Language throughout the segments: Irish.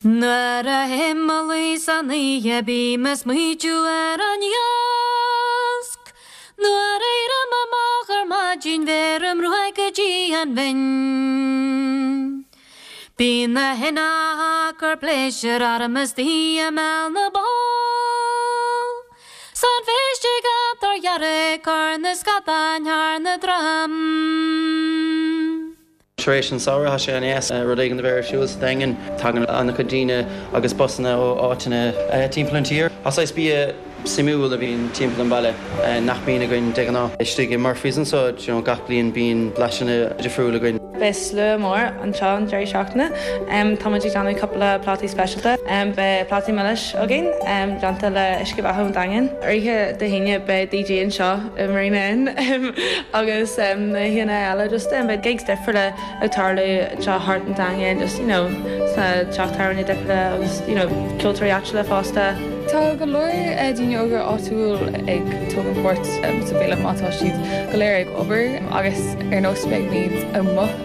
Nuair a théim a luí san oíche bím ag smaoitiú ar an iasc. Nuair a éirím amach ar maidin bheirim ruaig go dtí an bhinn. Bíonn na héin ag cur pléisiúr orm istigh i mbéal na bpoll. 'S an phéist ag an tor dhearg ag cur na scadán thar na droim. Tar éis an samhradh, tá sé an-deas rud éigin a bheith ar siúl sa Daingean. Tagann an-chuid daoine agus busanna ó áiteanna timpeall an tír. Tá saghas bia suimiúil a bhíonn timpeall an bhaile nach mbíonn againn de ghnáth. Istigh i Murphy's anseo, you know, gach bliain bíonn blaiseanna difriúil againn. Beidh slua mór anseo an deireadh seachtaine. Táimid ag déanamh cúpla plátaí speisialta. Beidh plátaí milis againn, déanta le uisce beatha ón Daingean. Ar oíche Dé hAoine beidh DJ anseo i Marina Inn agus na hoícheanta eile just beidh gigs difriúla ag tarlú anseo thart an Daingean just you know sna teach tábhairne difriúla agus you know ceoltóirí áitiúla fosta. Tá go leor daoine óga áitiúil ag tógaint páirt sa bhféile má tá siad go léir ag obair agus ar nós beimid amuigh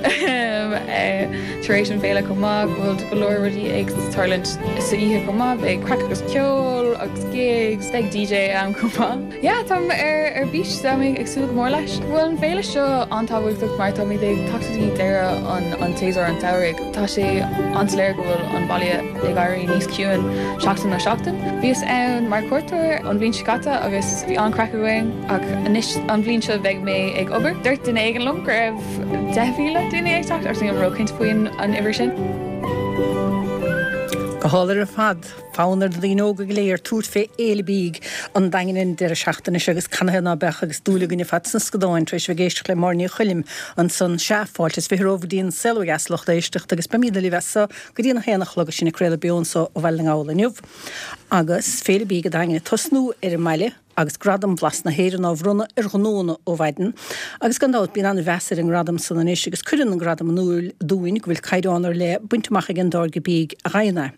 tar éis an féile chomh maith go bhfuil go leor rudaí ag tarlúint sa oíche chomh maith beidh craic agus ceol agus gigs beidh DJ ann chomh maith. Yeah, táim ar bís, tá mé ag súil go mór leis. Bhuel an féile seo an-tábhachtach mar táimid ag teacht go dtí deireadh an tséasúir an tsamhraidh. Tá sé an-soiléir go bhfuil an baile ag éirí níos ciúin seachtain ó seachtain. Bhíos ann mar chuairteoir an bhliain seo caite agus bhí an-chraic againn ach anois an bhliain seo beidh mé ag obair. Dúirt duine éigin liom go raibh 10,000 duine ag teacht ach nílim róchinnte faoin an uimhir sin. Go hálainn ar fad. Fonn ar na daoine óga go léir tabhairt fé Fhéile Bídh an Daingin an deireadh seachtaine seo agus canathaobh ná beadh agus dúil againn ar fad sna scadáin tar éis a bheith ag éisteacht le Máire Ní Choilm ansan. Sea, fáilte is 20 romhaibh go dtí an Saol Ó Dheas lucht éisteachta agus beimidne libh as so go dtí an haon a chlog is sinn ag craoladh beo anso ó Bhaile na nGall inniu agus Féile Bídh an Daingin ag tosnú ar an mbaile. agus Gradam Bhlas na hÉireann á bhronnadh ar ghnóanna ó mhaidin. Agus gan dabht, bíonn an-mheas ar an ngradam san anois agus cuireann an gradam in iúil dúinn go bhfuil caighdeán ar leith bainte amach ag an dtáirge bídh a fhaigheann é.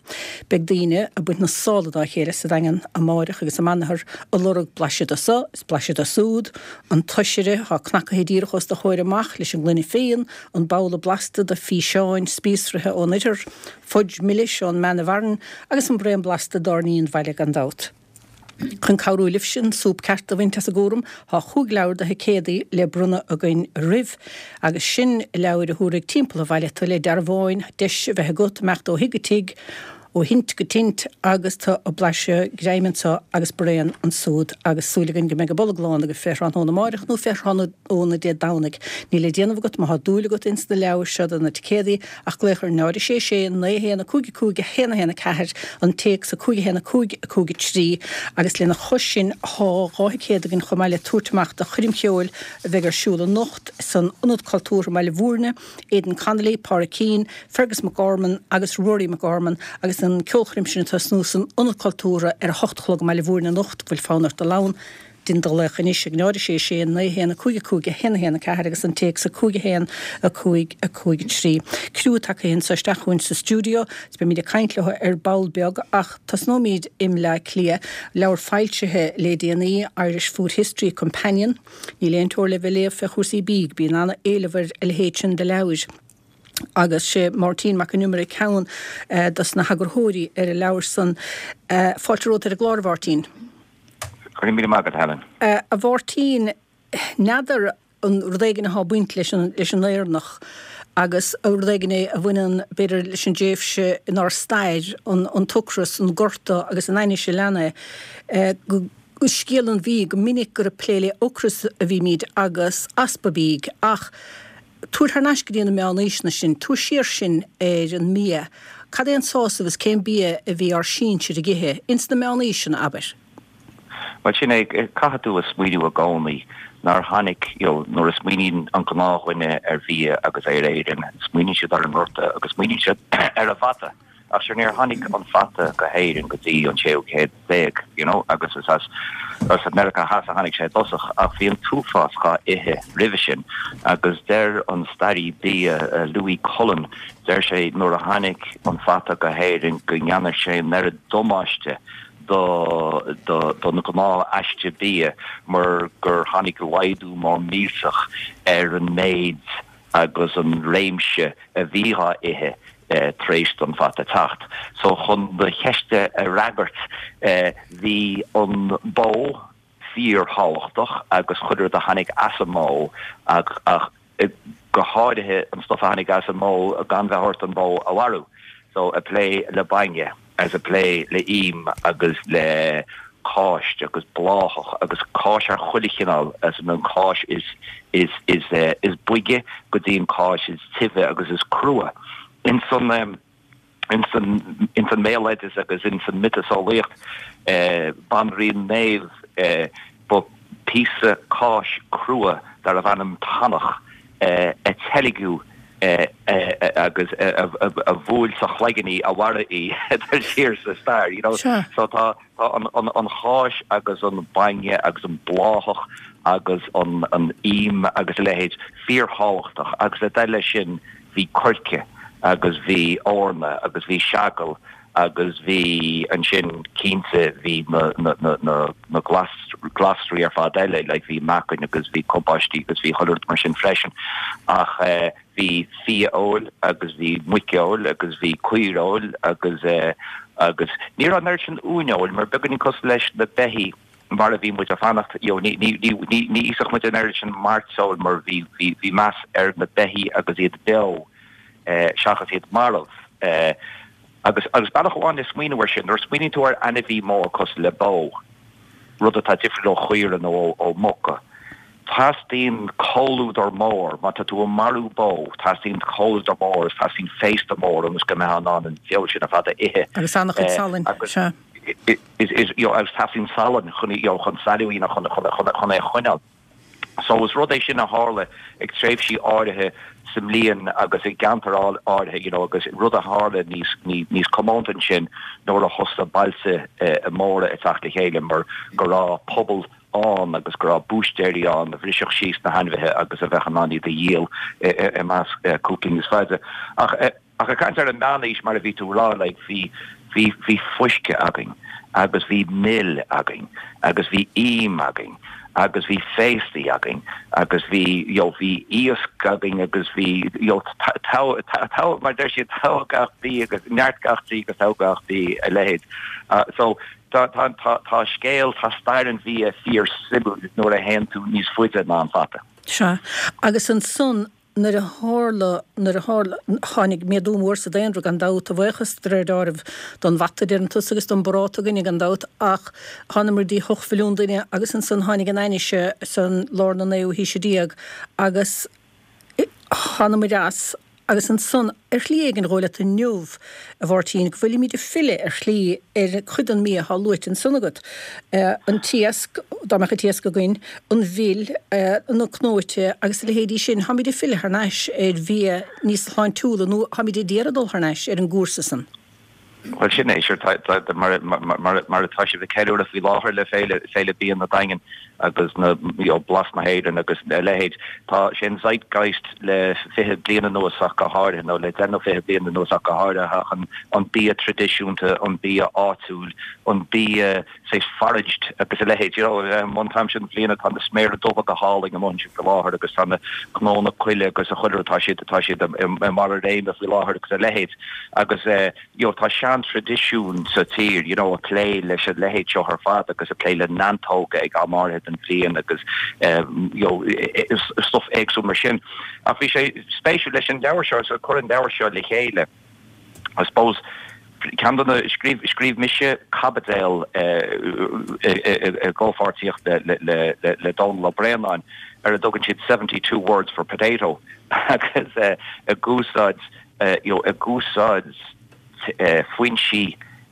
Beidh daoine ag baint na sála dá chéile sa Daingean amáireach agus amanathar ag lorg blaiseadh de so is blaiseadh de súd, an t-oisire atá cnacaithe díreach os do chomhair amach leis an ngloine fíon, an babhla blasta de phíseáin spíosraithe ón oirthear, fudge milis ón mbean i bhFearann agus an braon blasta d'Airní an bhaile gan dabht. Chun cabhrú libhse an súp ceart a bhaint as an gcúram, tá chúig leabhar de thicéadaí le bronnadh againn oraibh. Agus sin leabhair a thabharfaidh timpeall an bhaile tú le dearbháin, deis a bheith agat imeacht ó thigh go tigh, ó thint go tint agus tú ag blaiseadh greim anso agus braon ansúd agus súil againn go mbeidh an bolg lán agaibh fé thráthnóna amáireach nó fé tráthnóna Dé Domhnaigh. Níl le déanamh agat má thá dúil agat ins na leabhair seo do na ticéadaí ach glaoch ar 0 6 6 9 1 5 5 1 1 4, an téacs 5 1 5 5 3, agus lena chois sin thá 2 thicéad againn chomh maith le tabhairt amach do choirm cheoil a bheidh ar siúl anocht san Ionad Cultúrtha i mBaile Bhúirne, Aidan Connolly, Pádraic Keane, Fergus McGorman agus Rory McGorman agus an ceolchoirm sin ag tosnú san Ionad Cultúrtha ar a hocht a chlog i mBaile Bhúirne anocht, bhfuil fonn ort dul ann? Dein do ghlaoch anois ag 0 6 6 9 1 5 5 1 1 4 agus an téacs 5 1 5 5 3. Criú tagtha anso isteach chugainn sa stiúideo is beimid ag caint leo ar ball beag ach tosnóimid i mBleá Cliath. Leabhar foilsithe le déanaí, Irish Food History Companion. Níl aon teora le bheith ag léamh fé chúrsaí bídh, bíonn ana-éileamh ar a leithéid sin de leabhair. Agus sé Máirtín Mac an Iomaire ceann dos na heagarthóirí ar an leabhar san. Fáilte romhat ar an gclár, a Mháirtín. Go raibh míle maith agat, Helen. A Mháirtín, n'fheadar an rud éigin athá ag baint leis an leis an Éireannach agus rud éigin é a bhaineann b'fhéidir leis an dtréimhse inár stair, an an t-ocras, an gorta agus an ainnise a lean é, go scéal an bhídh, go minic gur ag plé le ocras a bhímid agus easpa bídh ach Tabhair thar n-ais go dtí na meánaoiseanna sinn, tabhair siar sinn ar an mbia. Cad é an sásamh is cén bia a bhí ár sinsir ag ithe, ins na meánaoiseanna, abair? Bhuel, sin é, caithfidh tú a smaoineamh i gcónaí nár tháinig, you know, nuair a smaoiníonn an gnáthdhuine ar bhia agus ar Éirinn, smaoiníonn siad ar an ngorta agus smaoiníonn siad ar an bhfata. Ach sure níor tháinig an fata go hÉirinn go dtí an séú céad déag, you know, agus is as as Meiriceá Theas a tháinig sé i dtosach, ach bhí an t-uafás dhá ithe roimhe sin. Agus deir an staraí bia Louis Cullen, deir sé nuair a tháinig an fata go hÉirinn go ndearna sé an oiread damáiste do do don ghnáth-aiste bia mar gur tháinig laghdú mór millteach ar an méid agus an réimse a bhí dhá ithe. tar éis don fhata teacht. So chun do cheist a fhreagairt, bhí an bó fíor-thábhachtach agus chuile rud a tháinig as an mbó ach go háirithe an stuff a tháinig as an mbó gan bheith ort an bhó a mharú. So ag plé le bainne agus ag plé le im agus le cáis agus bláthach agus cáis ar chuile chineál, as an cáis is is is is boige go dtí an cáis is tibhe agus is crua. Ins an ins an ins an mbéaloideas agus ins an miotaseolaíocht, Banríon Méabh, ba píosa cáis crua darbh ainm tanach a teilgeadh agus a bhuail sa chloigeann í a mharaigh í siar sa stair, you know. So tá Tá an cháis agus an bainne agus an bláthach agus an im agus a leithéid fíorthábhachtach agus le dul leis sin bhí coirce agus bhí eorna agus bhí seagal agus bhí ansin cinnte bhí na na glasraí ar fad eile like bhí meacain agus bhí cabáistí agus bhí chuile rud mar sin freisin ach eh Bhí fia-fheoil agus bhí muicfheoil agus bhí caorfheoil agus agus ní raibh an oiread sin uainfheoil mar beagáinín cosúil leis na beithígh mar a bhí muid ag fanacht you know ní ní ní ní ní íosfadh muid an oiread sin mairteoil mar bhí bhí bhí meas ar na beithígh agus iad beo seachas iad marbh. Agus agus bealach amháin le smaoineamh air sin, nuair a smaoiníonn tú ar ainmhí mór cosúil le bó, rud atá difriúil ó chaora nó ó mhuca, teastaíonn comhluadar mór, má tá tú ag marú bó, teastaíonn comhluadar mór agus teastaíonn féasta mór ionas go mbeifeá in ann an feoil sin ar fad a ithe. Agus an-chuid salainn, sea. Is, you know, agus teastaíonn salann chun, you know, chun sailiú a dhéanamh, chun, chun, chun, chun é a choinneáil. So is rud é sin a tharla ag tréimhsí áirithe sa mbliain agus i gceantair áirithe, you know, agus rud a tharla níos, níos comónta ansin nuair a thosaigh bailte móra ag teacht le chéile mar go raibh pobal ann agus go raibh búistéirí ann a bhrisfeadh síos na hainmhithe agus a bheadh in ann iad a dhíol i measc cúpla níos faide. Ach. Ach ag caint ar an meánaois, mar a bhí tú a rá, like, bhí, bhí, bhí fuisce againn agus bhí mil againn agus bhí im againn agus bhí féastaí againn agus bhí, you know, bhí iasc againn agus bhí, you know, togha, togha, mar deir siad, togha gach bí agus neart gach dí agus togha gach bí, a leithéid. So, tá, tá, tá, tá scéal, tá stair an bhia fíor suimiúil nuair a théann tú níos faide ná an fata. Sea. Agus ansan, Nuair a tharla, nuair a tharla, tháinig méadú mór sa daonra gan dabht, a bhuíochas de réir deáraimh don bhata, deireann tusa, agus don bparáta againne gan dabht, ach thánamar dtí hocht mhilliún duine agus ansan tháinig an ainnise san lár na naoú haoise déag agus thánamair as agus ansan ar shlí éigin dhóigh leat inniu, a Mháirtín, go bhfuilimid ag filleadh ar shlí ar chuid den mbia atá luaite ansan agat, an t-iasc, dá mbeadh an t-iasc againn, an mhil, na cnóite agus a leithéidí sin. Táimid ag filleadh thar n-ais ar bhia níos sláintiúla nó táimid ag iarraidh dul thar n-ais ar an gcúrsa san. Bhuel, sin é, sure, mar mar atá sibh ag ceiliúradh faoi láthair le Féile, Féile Bia na Daingean agus na, you know, Blas na hÉireann agus a leithéid. Tá sé an zeitgeist le 20 bliain anuas ach go háirithe, nó le 10 nó 20 bliain anuas ach go háirithe, ach an, an bia traidisiúnta, an bia áitiúil, an bia, saghas foraged agus a leithéid. You know, an t-am seo den bhliain tá na sméara dubha go hálainn amuigh ansin faoi láthair agus tá na cnónna coille agus a chuile rud, tá siad, tá siad i mbarr a réime faoi láthair agus a leithéid. Agus eh, you know, tá sean-traidisiún sa tír, you know, ag plé leis an leithéid seo ar fad agus ag plé le neantóga ag am áirithe den bhliain agus eh, you know, stuff éagsúil mar sin. Ach bhí sé spéisiúil leis an leabhar seo, so cur an leabhar seo le chéile. I suppose, ceann de na, scríobh, scríobh mise caibideal i gcomhpháirtíocht le Dónal Ó Braonáin ar a dtugann siad 72 words for potato agus ag úsáid, you know, ag úsáid foinsí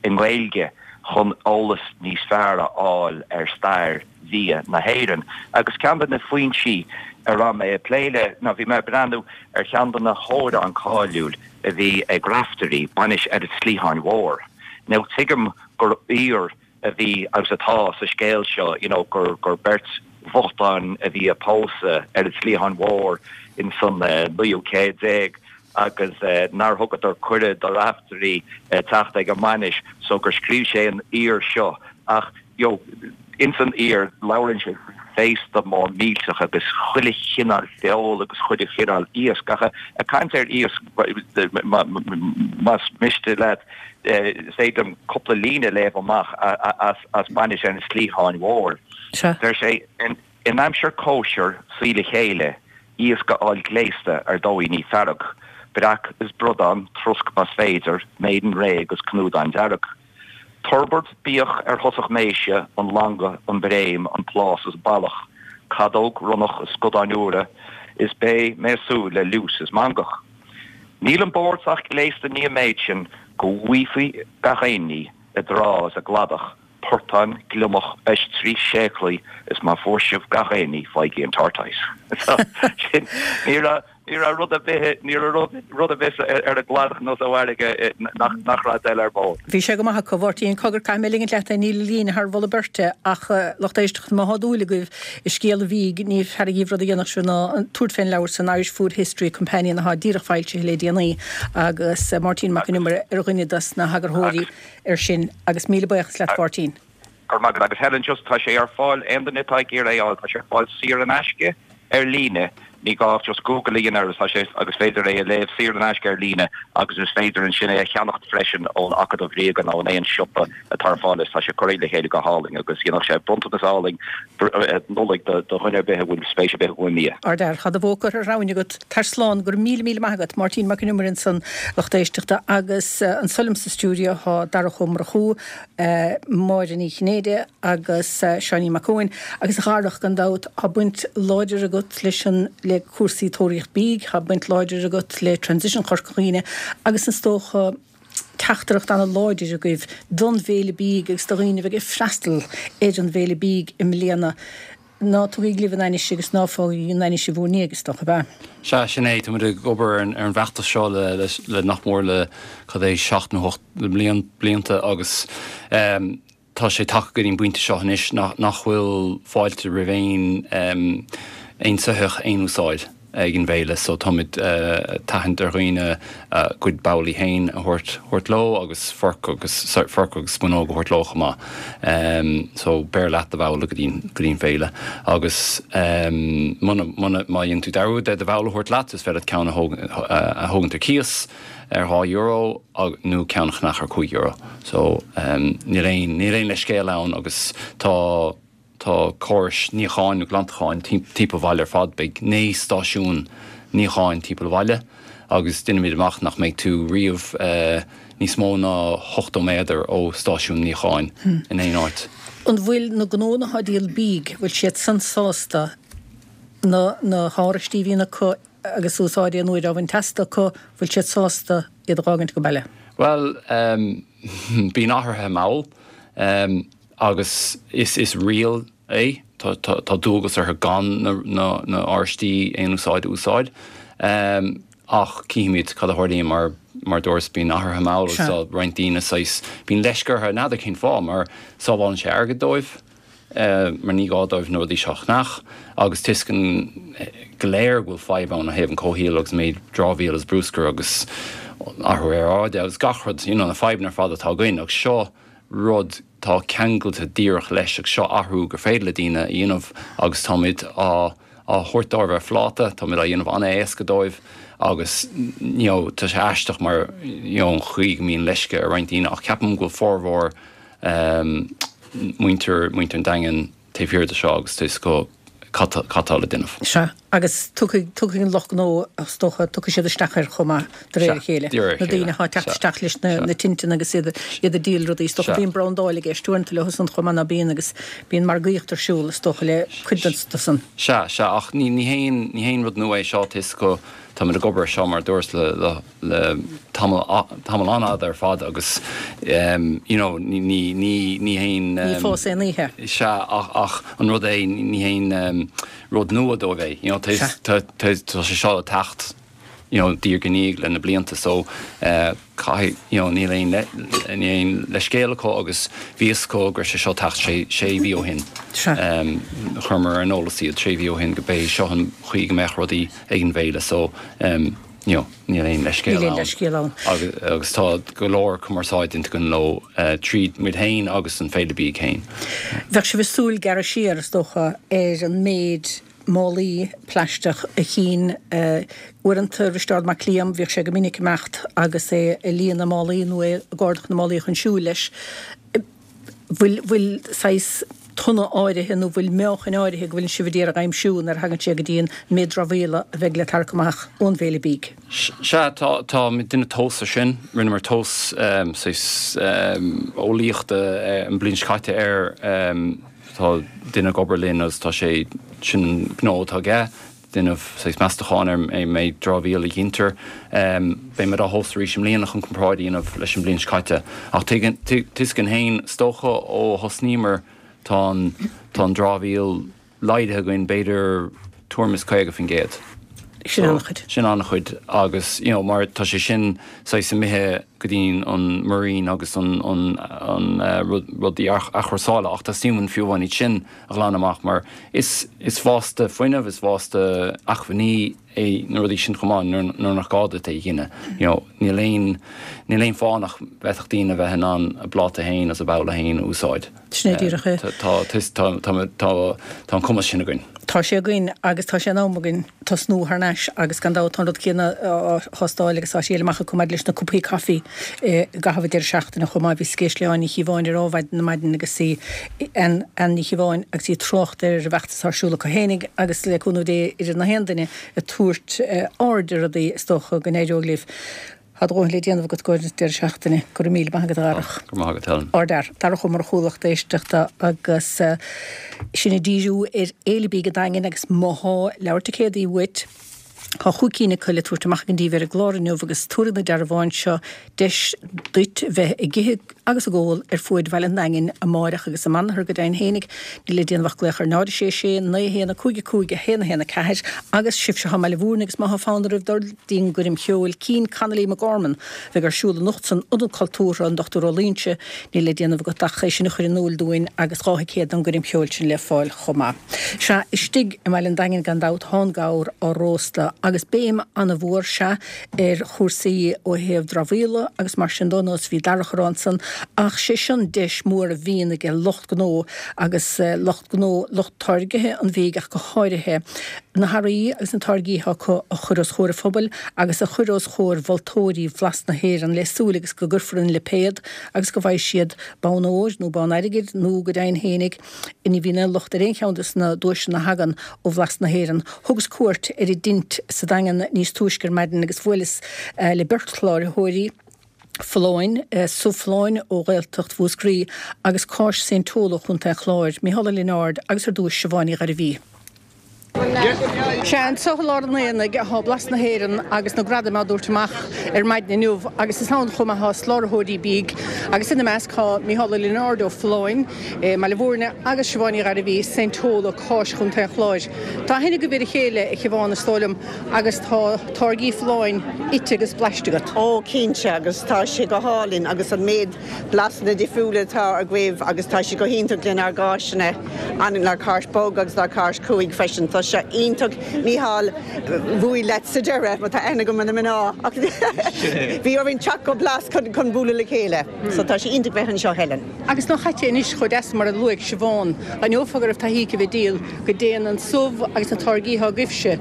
i nGaeilge chun eolas níos fearr a fháil ar stair bhia na hÉireann. Agus ceann de na foinsí a raibh mé ag plé le ná bhí mé ag breathnú ar cheann de na hamhráin cáiliúil a bhí ag Raiftearaí, Bainis ar an tSliatháin Mhóir. Now tuigim gur aoir a bhí agus atá sa scéal seo, you know, gur gur beirt bhochtáin a bhí ag pósadh ar an tSliathán Mhór in san naoú céad déag agus nár thugadar cuireadh do Raiftearaí teacht ag an mbainis so gur scríobh sé an aoir seo ach, you know, ins an aoir labhrann sé faoi. féasta mór millteach agus chuile chineál feoil agus chuile chineál iasc. Ach ag caint ar iasc, más miste leat, is féidir liom cúpla líne a léamh amach as bainis ar an Sliabhán Mhór. Deir sé, In aimsir cóisir suí le chéile, iasc a fháil gléasta ar dóigh ní fearg, breac is bradán, trosc más féidir, Maiden réidh agus cnúdán dearg. Turbard, bíodh ar thosach méise, an langadh, an bréim, an plás is ballach, cadóg, ronnach is scadáin úra, is beidh mé ag súil le liús is mangach. Níl an bord sách gléasta ní an méid sin go bhfaighfí gach aon ní i dtrá is i gcladach, portáin, gliomach, oistrí, séaclaí is má fuair sibh gach aon ní faighigí an tortoise. So, sin, ní raibh, ní raibh rud ar bith, ní raibh rud, rud ar bith ar an gcladach nó sa bhfarraige nach, nach raibh dul ar bord. Bhí sé go maith acu, a Mháirtín. Cogar, caithfidh mé ligint leat é, níl an líne thar mholadh beirte ach lucht éisteachta, má thá dúil agaibh i scéal an bhídh, ní fearr dhíbh rud a dhéanfadh sibh ná tabhairt fén leabhar san Irish Food History Companion athá díreach foilsithe le déanaí agus Máirtín Mac Con Iomaire ar dhuine dos na heagarthóirí. air sin agus míle buíochas leat a Mháirtín. Go raibh maith agat. Agus Helen, just, tá sé ar fáil, aon duine atá ag iarraidh é a fháil, tá sé ar fáil saor in aisce ar líne, ní gá ach just Google a dhéanamh air agus tá sé, agus féidir é a léamh saor in aisce ar líne agus is féidir ansin é a cheannacht freisin ón Acadamh Ríoga nó in aon siopa atá ar fáil is tá sé curtha le chéile go hálainn agus dhéanfadh sé bronntanas álainn Nollaig do dhuine ar bith a bhfuil spéis ar bith acu i mbia. Ardfhear, tá do bhó curtha ar thramhain agat. Tar slán, go raibh míle míle maith agat. Máirtín Mac Con Iomaire ansan, lucht éisteachta, agus anso liom sa stiúideo thá Darach Ó Murchú, Máire Ní Chinnéide agus Seáinín Mac Eoin. Agus a Dharach, gan dabht, thá baint láidir agat leis an, le cúrsaí Tóraíocht Bídh, thá baint láidir agat le Transition Chorca Dhuibhne agus is dócha, teachtaireacht an-láidir agaibh don bhFéile Bídh agus do dhaoine a bheidh ag freastal ar an bhFéile Bídh i mbliana. Ná tugaigí libh an ainnise agus ná fágaigí an ainnise bhur ndiaidh, is dócha, ab ea? Sea, sin é. Táimid ag obair ar an bhfeachtas seo le nach mór le, cad é, seacht nó hocht blianta agus tá sé tagtha go dtí an bpointe seo anois nach bhfuil fáilte roimh aon aon soitheach aon úsáid ag an bhféile so táimid ag tathant ar dhaoine a gcuid babhlaí féin a thabhairt thabhairt leo agus forc agus forc agus spúnóg a thabhairt leo chomh maith. So beir leat do bhabhla go dtí go dtí an féile agus muna muna má dhéanann tú dearúd de do bhabhla a thabhairt leat is féidir leat ceann a a thógaint ar cíos ar €2 nó ceann a cheannach ar €5. So níl aon, níl aon leithscéal ann agus tá, tá córais níocháin nó glantacháin timpeall an bhaile ar fad. Beidh 9 stáisiún níocháin timpeall an bhaile agus déanaimid amach nach mbeidh tú riamh níos mó ná 80 méadar ó stáisiún níocháin in aon áit. An bhfuil na gnónna atá ag díol bídh, bhfuil siad san sásta na, na háraistí a bhíonn acu agus úsáid aon uair á bhaint astu acu, bhfuil siad sásta iad a dh'fhágaint ag baile? Bhuel, bíonn athruithe mall agus is riail é, tá dualgas orthu gan na áraistí aon úsáid a úsáid. Ach cífimid cad a tharlaíonn mar mar dúras bíonn athruithe mall agus tá roinnt daoine saghas, bíonn leisce orthu, n'fheadar cén fáth, mar sábhálann sé airgead dóibh. mar ní gá dóibh na rudaí seo a cheannach agus tuigeann go léir go bhfuil fadhb ann ó thaobh an comhshaoil agus méid dramhaíl agus bruscair agus athrú aeráide agus gach rud, you know, na fadhbanna ar fad atá againn agus seo rud tá ceangailte díreach leis agus seo athrú gur féidir le daoine a dhéanamh agus táimid á á thabhairt dóibh ar phláta, táimid á dhéanamh an-éasca dóibh agus you know, tá sé aisteach mar you know, an chaoi go mbíonn leisce ar roinnt daoine ach ceapaim go bhfuil formhór muintir, muintir an Daingin taobh thiar de seo agus tá fhios acu cad tá le déanamh. Sea, agus tiocfaidh, tiocfaidh an lucht gnó, is dócha, tiocfaidh siad isteach air chomh maith, de réir a chéile. De réir a Na daoine chéile, atá ag teacht sea. isteach leis na, Sea. na tinteanna agus iad, iad ag díol rudaí, is dócha. Sea. Bíonn brandáil i gceist uaireanta leo san chomh maith ná bíonn agus bíonn margaíocht ar siúl, is dócha, le cuid den, de san. Sea, sea, ach ní, ní haon, ní haon rud nua é seo, tá fhios acu, táimid ag obair ar seo mar a dúras le, le, le tamall tamall an-fhada ar fad agus you know ní ní ní ní haon Ní fás aon oíche. Sea ach ach an rud é ní haon rud nua dóibh é you know tá tá tá tá sé seo ag teacht you know diaidh ar ndiaidh le na blianta so caithfidh you know níl aon níl aon leithscéal acu agus bhí fhios acu go raibh sé seo ag teacht sé sé mhí ó shin. Sea. Chuireamar ar an eolas iad sé mhí ó shin go b'é seo an chaoi go mbeadh rudaí ag an bhféile so. You know, níl aon leithscéal ann. Níl aon leithscéal ann. Agus tá go leor cumarsáid déanta againn leo tríd muid féin agus an Féile Bídh féin. Bheadh sibh ag súil gearradh siar, is dócha, ar an méid málaí plaisteach a chinn uaireanta Risteárd Mac Liam, bhíodh sé go minic ag imeacht agus é ag líonadh málaí nó é ag ardach na málaí chun siúil leis. bhfuil, bhfuil saghas tonna áirithe nó bhfuil meáchain áirithe go bhfuileann sibh ag iarraidh a aimsiú nuair a thagann sé go dtí an méid dramhaíola a bheidh le tarrac amach ón bhFéile Bídh. Sea, tá, tá muid ag déanamh tomhas ar sin. Rinneamar tomhas saghas eolaíochta an bhliain seo caite air. Tá duine ag obair linn agus tá sé, sin an gnó atá aige. déanamh saghas meastacháin ar an méid dramhaíola a ghintear. Beidh muid á thomhas arís i mbliana chun comparáid a dhéanamh leis an bhliain seo caite. Ach tá a fhios againn féin, is dócha ó thosnaíomar tá an tá an dramhaíl laghdaithe againn b'fhéidir tuairim is 50%. Sin an-chuid. Sin an-chuid agus you know mar tá sé sin saghas imithe go dtí an muirín agus an an an rudaí athchúrsála ach teastaíonn uainn fiú amháin iad sin a ghlanadh amach mar is is vásta fuinnimh, is vásta acmhainní é na rudaí sin chomh maith nuair nach gá duit é a dhéanamh. You know, níl aon níl aon fáth nach bhféadfadh daoine a bheith in ann a bpláta féin agus a babhla féin a úsáid. Sin é díreach é. Tá tá tá tá tá an cumas sin againn. Tá sé againn agus tá sé in am againn tosnú thar n-ais agus gan dabht tá an rud céanna á thástáil agus á thriail amach acu maidir leis na cupaí caife i gcaitheamh an deireadh seachtaine chomh maith. Bhíos ag éisteacht le Áine Ní Chíobháin ar Adhmhaidin ar maidin agus í Anne Ní Chíobháin agus í ag trácht ar an bhfeachtas atá ar siúl acu fhéinig agus le cúnamh Dé oiread na haon duine ag tabhairt aird ar rudaí is dócha go n-éireoidh libh. Tá do dhóthain le déanamh agat i gcomhair an deireadh seachtaine. Go raibh míle maith agat a Dharach. Go raibh maith agat Helen. Ardfhear. Darach Ó Murchú lucht éisteachta agus sinn ag díriú ar Fhéile Bídh an Daingin agus má thá leabhar ticéadaí uait, tá chúig cinn acu le tabhairt amach ag an díbh ar an gclár inniu agus tabharfaidh na dearbháin seo deis duit bheith ag ithe agus ag ól ar fuaid Bhaile an Daingin amáireach agus amanathar go deimhin fhéinig. Níl le déanamh ach glaoch ar 0 6 6 9 1 5 5 1 1 4 agus sibhse atá i mBaile Mhúirne agus má thá fonn oraibh dul dtí'n gcoirm cheoil Cian Connolly McGorman a bheidh ar siúl anocht san Ionad Cultúrtha, an Dr Ó Loingsigh, níl le déanamh agat ach é sin a chur in iúil dúinn agus 2 thicéad don gcoirm cheoil sin le fáil chomh maith. Sea, istigh i mBaile an Daingin gan dabht thá an gabhar á róstadh agus béim ana-mhór, sea, ar chúrsaí ó thaobh dramhaíola agus mar sin dó, nós a bhí Darach a rá ansan, ach sé sin deis mhór a bhíonn ag lucht gnó agus lucht gnó, lucht táirgithe an bhídh ach go háirithe, na hearraí agus na táirgí atá acu a chur os chomhair an phobail agus a chur os chomhair mholtóirí Bhlas na hÉireann le súil agus go gcuirfear an lipéad agus go bhfaighidh siad bonn óir nó bonn airgid nó go deimhin fhéinig Ní bhíonn aon locht ar aon cheann de na duaiseanna a thagann ó Bhlas na hÉireann. Thugas cuairt ar an dtint sa Daingean níos túisce ar maidin agus bhuaileas le beirt chláraitheoirí, Folláin, Subh Folláin ó Ghaeltacht Mhúscraí agus Cáis Saint Tola ó Chontae an Chláir, Mícheál Ó Lionáird agus ar dtúis Siobhán Ní Ghairbhí. Sea, anseo i lár an aonaigh atá Blas na hÉireann agus na gradaim á dtabhairt amach ar maidin inniu agus is ann chomh maith atá soláthróirí bídh agus ina measc tá Mícheál Ó Lionáird ó Folláin i mBaile Mhúirne agus Siobhán Ní Ghairbhí, Saint Tola, Cáis Chontae an Chláir. Tá aithne agaibh ar a chéile, a Shiobhán, is dóigh liom, agus tá táirgí Folláin ite agus blaiste agat. Ó, cinnte, agus tá sé go hálainn agus an méid blasanna difriúla atá agaibh agus tá sé go hiontach lenár gcáiseanna, lenár cáis bog agus lenár cáis cruaidh freisin. Tá sé iontach Mícheál, bhuail leat sa deireadh, mar tá aithne agam ar na mná ach bhí orainn teacht go Blas chun chun bualadh le chéile. So tá sé iontach bheith anseo Helen. Agus nach ait é anois chomh deas mar a luaigh Siobhán, d'aithneofá go raibh taithí aici a bheith ag díol, go dtéann an subh agus na táirgí atá agaibhse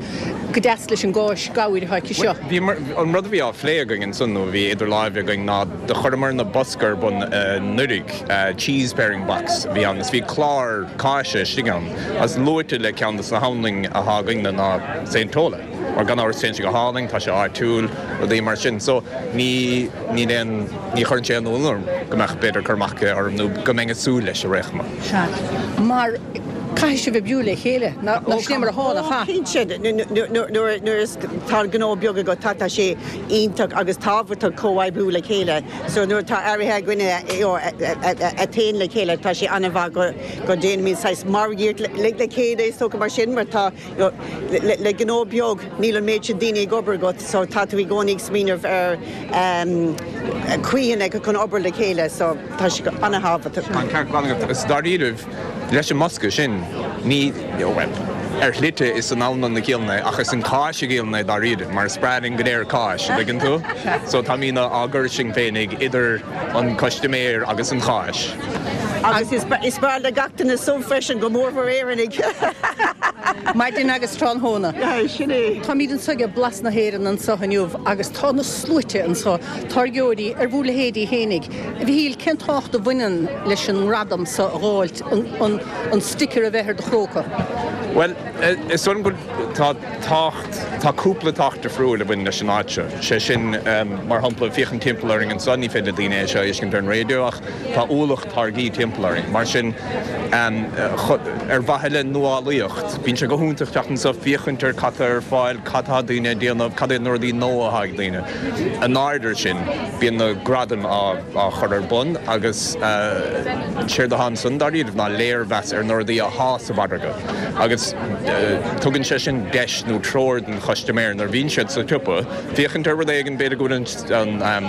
go deas leis an gcáis gabhair atá aici seo. Bhí, an rud a bhí á phlé againn ansan nó a bhí idir láimhe againn ná do chuireamar na bosca ar bun anuraidh, cheese pairing box a bhí ann is bhí clár cáise istigh ann agus luaite le ceann de na hanlainn atá againne ná Saint Tola mar gan amhras téann sé go hálainn, tá sé áitiúil, rudaí mar sin. So ní, níl aon, ní chuireann sé aon ionadh orm go mbeadh b'fhéidir cur amach aici orm nó go mbeinn ag súil leis ar aon chuma. Sea, mar caithfidh sibh oibriú le chéile, nó sin é mar atá, nach ea? Cinnte, nuair atá gnó beag agat, tá sé iontach agus tábhachtach comhoibriú le chéile. So nuair atá earraithe againne a théann le chéile, tá sé an-mhaith go ndéanaimid saghas margaíocht le chéile, is dócha mar sin, mar tá le gnó beag níl an méid sin daoine ag obair agat so tá tú i gcónaí ag smaoineamh ar chaoicheanna chun obair le chéile so tá sé an-thábhachtach. Tá an ceart glan agat. Is dáiríribh, leis an mbosca sin, ní, bhuel. Ar shlite is san anlann a dhíolann é ach is an cáis a dhíolann é dáiríre mar is breá linn go léir cáis, an dtuigeann tú? So táimídne á gcur sinn féinig idir an custaiméir agus an cháis. Agus is breá le gach duine subh freisin, go mórmhór Éireannaigh! Maidin agus tráthnóna. Sin é. Táimid anseo ag Blas na hÉireann anseo inniu agus tá na sluaite anseo, táirgeoirí ar bhur leithéidí fhéinig. A Mhichíl, cén tábhacht a bhaineann leis an ngradam seo a dh'fháilt, an sticker a bheith ar do chróca? Bhuel, is dóigh liom go tá tábhacht, tá cúpla tábhacht difriúil a bhaineann leis an áit seo. Sé sin, mar shampla, féachaint timpeall orainn anseo, ní féidir le daoine é seo a fheiscint ar an raidió ach tá ualach táirgí timpeall orainn. Mar sin, ar mhaithe le nuálaíocht, bíonn sé go hiontach teacht anseo, féachaint ar cad tá ar fáil, cad tá daoine ag déanamh, cad iad na rudaí nua atá ag daoine. In aird air sin, bíonn na gradaim á chur ar bun agus séard atá ansan dáiríribh ná léirmheas ar na rudaí athá sa mhargadh agus tugann sé sin deis nó treoir don chustaiméir nuair a bhíonn siad sa tsiopa féachaint ar rud éigin, b'fhéidir go bhfuil an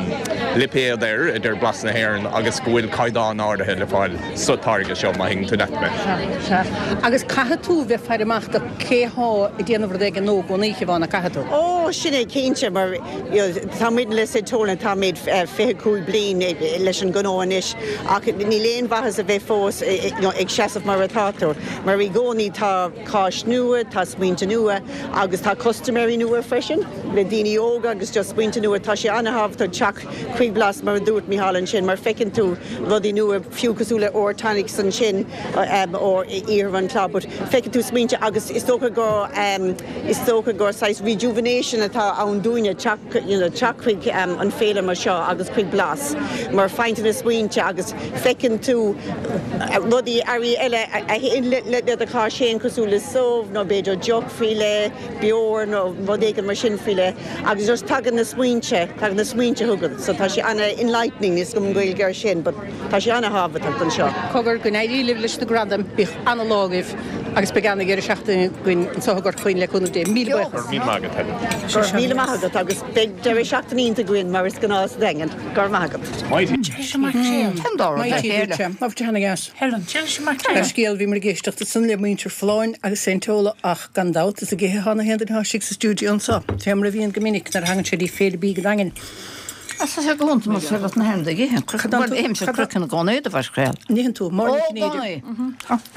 lipéad air a deir Blas na hÉireann agus go bhfuil caighdeán áirithe le fáil sa táirge seo, má thuigeann tú leat mé. Sea, sea. Agus caithfidh tú bheith ag faire amach do cé thá ag déanamh rud éigin nua i gcónaí, a Shiobhán, nach gcaithfidh tú? Ó, sin é, cinnte, mar you know, tá muid le St Tolan, táimid 25 bliain leis an ghnó anois ach níl aon mhaitheas a bheith fós you know, ag seasamh mar atá tú, mar i gcónaí tá cáis nua, tá smaointe nua agus tá custaiméirí nua freisin, le daoine óga agus just smaointe nua, tá sé an-thábhachtach teacht chuig Blas mar a dúirt Micheál ansin mar feiceann tú rudaí nua fiú cosúil le Ore Tonics ansin ó Iarthar an Chláir but feiceann tú smaointe agus is dócha gur is dócha gur saghas rejuvenation atá ann dúinne teacht you know teacht chuig an féile mar seo agus chuig Blas mar faigheann tú na smaointe agus feiceann tú rudaí earraí eile a théann le do cháis féin cosúil le subh nó b'fhéidir deoch faoi leith, beoir nó rud éigin mar sin faoi leith. Agus just tagann na smaointe, tagann na smaointe chugat so tá sé ana-enlightening, níl 's agam an Ghaeilge air sin but tá sé ana-thábhachtach anseo. Cogar, go n-éirí libh leis na gradaim, bíodh ana-lá agaibh agus beidh ana-dheireadh seachtaine againn anseo i gCorca Dhuibhne le cúnamh Dé. Míle buíochas. Go raibh míle maith agat, Helen. Go raibh míle maith agat agus beidh deireadh seachtaine iontach againn mar is gnáth sa Daingean. Go raibh maith agat. Mighty duitse. Labhair tú ana-dheas. Helen, Tá scéal, bhíomar ag éisteacht ansan le muintir Folláin agus Saint Tola ach gan dabht is ag ithe atá na haon duine atá istigh sa stiúideo anso, fé mar a bhíonn go minic nuair a thagann sé dtí Féile Bídh an Daingin. Tá sé go hiontach más féidir leat na haon duine ag ithe. Bhuel, ithimse craiceann i gcónaí do bheir craol. An itheann tú? Máire Ní Chinnéide.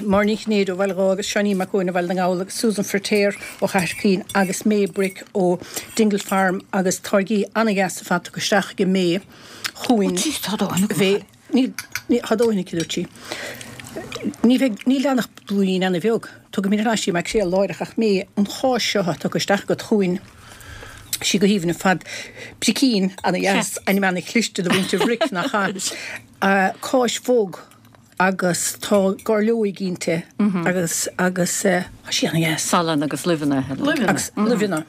Máire Ní Chinnéide ó Bhaile Dháith agus Seáinín Mac Eoin ó Bhaile na nGall agus Susan Feirtéar ó Chathair Chaoin agus May Brick ó Dingle Farm agus táirgí ana-dheas ar fad tugtha isteach ag May chugainn. Ó, jeez, tá dóthain agam. Níl, ní, tá dóthain aici, a dúirt sí. Ní bheidh, níl ann ach blúirín ana-bheag. Tugaimid ar ais í Mac Séalaigh láithreach ach May, an cháis seo atá tugtha isteach agat chugainn, sí go haoibhinn ar fad. Bricín ana-dheas, ainm ana-chliste do mhuintir Bhric, nach ea? Cáis bhog agus tá gairleoig inti agus, agus, tá sí ana-dheas. Salann agus luibheanna. Luibheanna. Agus luibheanna.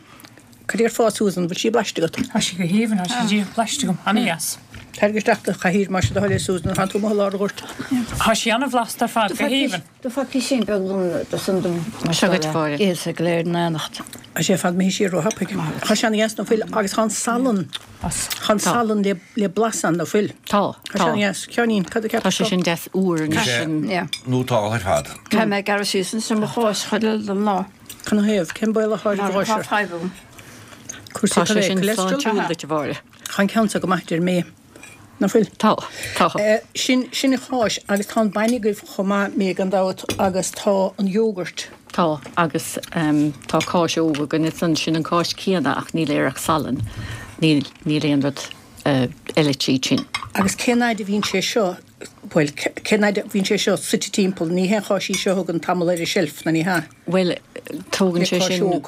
Cad déarfá Susan, bhfuil sí blaiste agat? Tá sí go haoibhinn, tá sí díreach blaiste agam, ana-dheas. Tarraing isteach do chathaoir más é do thoil é Susan, tánn tú amuigh i lár an ghoirt. Tá sí ana-bhlasta ar fad, go haoibhinn. Do fuair písín beag dom do san dom mar Seo dhuit, Mháire. Ithe go léir in éineacht. Tá sé ar fad imithe siar róthapaidh. Tá sé ana-dheas ná fuil agus tá an salann, tá an salann le le blas ann ná fuil. Tá, Tá sé tá. ana-dheas. Sheáinín, cad a Tá cheapas sé tú? sin deas úr anois. Tá sé nótáltha ar fad. Caithfidh mé gearradh síos ansin mo cháis chuile don lá. Canathaobh? Cén baol atá ar Mar tá fadhb agam. Cúrsaí Tá sé cad é? sin Cholesterol? sláintiúil duit, a Mháire. Tá an ceann seo go maith, deir May. Ná fuil? Tá, tá. Sin, sin an cháis agus tá an bainne agaibh chomh maith, May, gan dabht, agus tá an yogurt. Tá, agus tá cáis óg againn ansan, sin an cáis céanna ach níl air ach salann, níl, níl aon rud eile tríd sin. Agus cén fhaid a bhíonn sé seo, bhuel, cén fhaid a bhíonn sé seo suite timpeall, ní haon cháis í seo a thugann tamall ar an tseilf, ná ní hea? Bhuel, tógann Le sé cáis sin óg.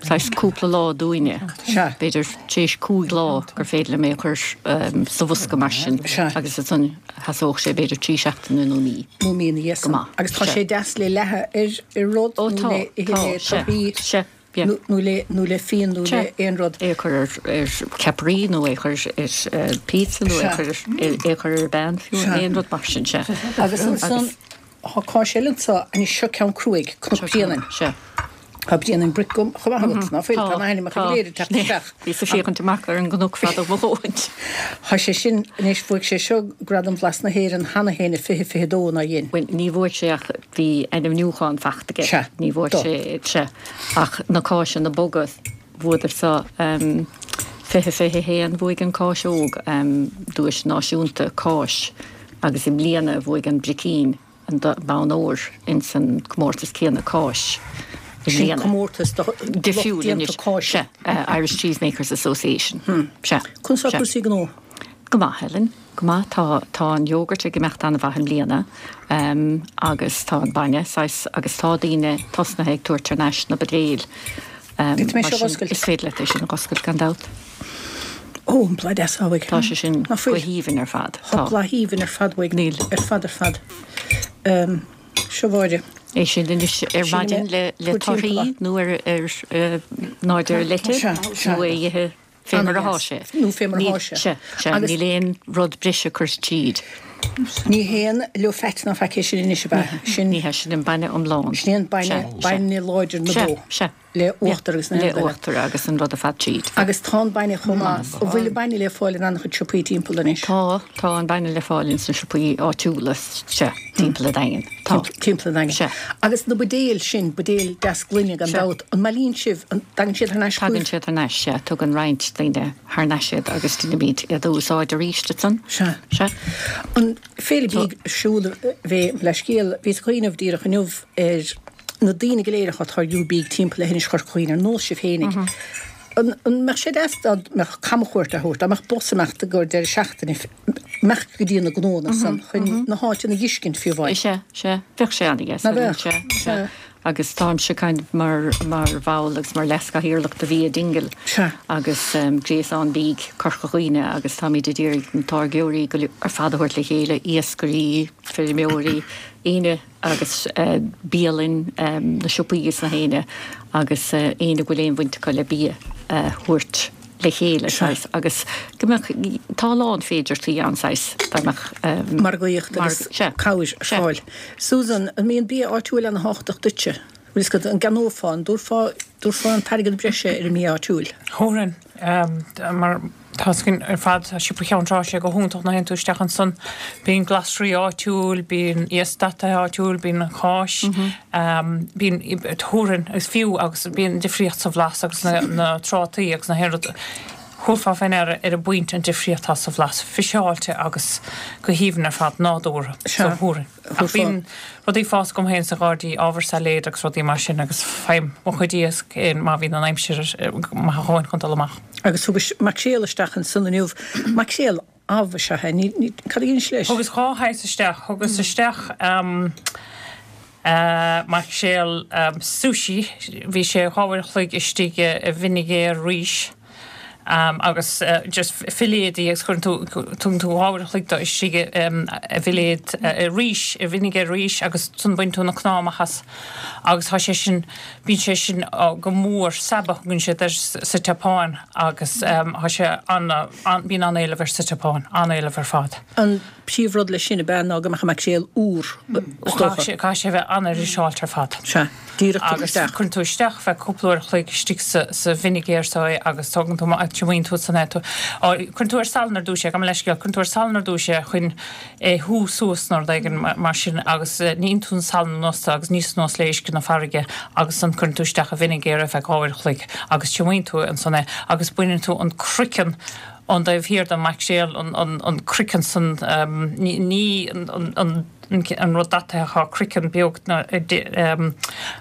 saghas cúpla lá dúinne. Sea. B'fhéidir tar éis cúig lá gur féidir liom é a chur sa bhosca mar sin. Sea. Agus ansan sheasódh sé b'fhéidir trí seachtaine nó mí. Nó mí ina dhiaidh Go san. maith. Agus tá Sea. sé deas le leathadh ar ar rud Ó nó tá, le ithe tá, le sea, torthaí sea, yeah. nó nó le nó le fíon nó Sea. le aon rud. É a chur ar ar ceapairí nó é a chur ar pizza nó é a Sea. chur ar é a chur ar bean fiú, Sea. aon rud mar sin, sea. Agus ansan Agus. Tá cáis eile anseo, anois seo ceann cruaidh, Cnoc Bréanainn. Sea. Tá Brian an Brick chomh maith agat, ná fuil? Tá na hainmneacha go léir ag teacht isteach. Bhíos ag féachaint amach ar an gcnoc fada mo dhóthain. Tá sé sin, anois, bhuaigh sé seo Gradam Bhlas na hÉireann cheana féin i 2022, nár dhein? Bhuel, ní bhuaigh sé ach bhí ainmniúchán fachta aige. Sea. Ní bhuaigh sé, sea. Ach na cáiseanna boga, bhuadar so 2021, bhuaigh an cáis óg duais náisiúnta cáis agus i mbliana bhuaigh an bricín. an bonn óir ins an comórtas céanna cáis i Sin mbliana. comórtas do lucht Difriúil déanta anois. cáise. Sea, Irish Cheesemakers Association. Sea. Conas tá Sea. cúrsaí gnó? Go maith, Helen. Go maith. Tá, tá an yogurt ag imeacht an-mhaith i mbliana agus tá an bainne, saghas, agus tá daoine tosnaithe ag tabhairt thar n-ais na buidéil. Féadfaidh mé Mar seo a sin, dh'oscailt? is féidir leat é sin a dh'oscailt gan dabht. Ó, an blas deas atá uaidh. Tá sé sin Ná go fuil? haoibhinn ar fad. Tá Tá. blas aoibhinn ar fad uaidh. Níl. Ar fad ar fad. Seo Mháire. É sin anois ar Sin maidin é. le le Tabhair timpeall torthaí é. nó ar ar náid ar leite Sea, sea. nó é a ithe fé mar athá sé. Nó fé mar Níl, athá sé. sea, sea. Agus Níl aon rud breise curtha tríd. ní haon low fat ná faic é sin anois ab ea? Sin. Ní hea, sin an bainne iomlán. Sin é an bainne, Sea, sea. bainne láidir na Sea, bó. sea. le uachtar agus na Le haon duine. uachtar agus an rud ar fad tríd. Agus tá an bainne chomh maith. An bhfuil an bainne le fáil in an-chuid siopaí timpeall anois? Tá, tá an bainne le fáil ins na siopaí áitiúla, sea, timpeall an Daingin. Tá. Timpeall an Daingin. Sea. Agus na buidéil sin, buidéil deas gloine gan Sea. dabht, an mbailíonn sibh, an dtagann siad thar n-ais Tagann chugaibh? siad thar n-ais, sea. Tugann roinnt daoine thar n-ais iad agus deinimid iad a úsáid arís ansan. Sea. Sea. An Féile Bídh ar siúl a bheidh le scéal, bhíos ag cuimhneamh díreach inniu ar na daoine go léir atá ag táirgiú bídh timpeall le hInis Chorca Dhuibhne, ar nós sibh fhéinig. An mbeadh sé deas dá mbeadh camchuairt á thabhairt, dá mbeadh bus ag imeacht i gcomhair deireadh seachtaine, imeacht go dtí na gnóanna san chun na háiteanna a dh'fheiscint fiú amháin? Sea, sea. Bheadh sé an-dheas. Ná beadh? Sea, sea. Agus táimse kind of mar, mar bhall agus mar leaschathaoirleach de Bhia Dingle. Sea. Agus Gréasán Bídh Corca Dhuibhne agus táimid ag iarraidh na táirgeoirí go ar fad a thabhairt le chéile, iascairí, feirmeoirí, éinne agus bialann, na siopaí is na héinne agus éinne go bhfuil aon bhaint acu le bia a thabhairt le chéile saghas agus go mbeadh, tá a lán féidearthachtaí ann saghas dá mbeadh Margaíocht agus cabhair ar fáil. Susan, an mbíonn bia áitiúil ana-thábhachtach duitse? Bhfuil fhios agat, an gceannófá, an dtabharfá, dtabharfá an t-airgead breise ar an mbia áitiúil? Thabharfainn, mar Tá a fhios againn ar fad, tá Siopa Cheann Trá, sé go hiontach nuair a théann tú isteach ansan. Bíonn glasraí áitiúil, bíonn iasc dataithe áitiúil, bíonn an cháis, bíonn, thabharfainn, is fiú agus bíonn difríocht sa bhlas agus na, na trátaí agus na haon rud. Thabharfá fé ndeara ar an bpointe an difríocht atá sa bhlas, fiseáilte agus go haoibhinn ar fad, nádúrtha. So thabharfainn. Ach bíonn rudaí ag fás agam féin sa ghairdí, ábhar sailéid agus rudaí mar sin agus faighim mo chuid iasc féin má bhíonn an aimsir maith a dhóthain chun dul amach. Agus thugais maicréal isteach ansan inniu. Maicréal amh is ea é. Ní, ní, cad a dheinis leis? Thugas 2 shaghas isteach. Thugas isteach maicréal sushi, bhí sé 2 uair a chloig istigh i bhfinigéar rís. agus just filléadaí agus cuireann tú, tugann tú 2 uair a chloig dó istigh i bhfilléad rís, i bhfinigéar rís agus ansan baineann tú na cnámha amach as agus tá sé sin, bíonn sé sin go mór, saba a thugann siad air sa tSeapáin agus tá sé ana, bíonn an-éileamh air sa tSeapáin, an-éileamh ar fad. An príomhrud leis sin ab ea ná go mbeadh an maicréal úr, is dócha. Caithfidh sé a bheith an-fhriseáilte ar fad. Sea, díreach tugtha Agus isteach. cuireann tú isteach feadh cúpla uair a chloig istigh sa bhfinigéar so é agus tógann tú amach, triomaíonn tú ansan é. Cuireann tú ar salann ar dtús é, gabh mo leithscéal, cuireann tú ar salann ar dtús é chun é shú suas nó rud éigin mar sin agus níonn tú an salann anuas de agus níos anuas le uisce na farraige agus ansan cuireann tú isteach i bhfinigéar é feadh dhá uair a chloig agus triomaíonn tú ansan é agus baineann tú an croiceann ón dtaobh thiar den maicréal, an croiceann san, ní an rud dataithe tá croiceann beag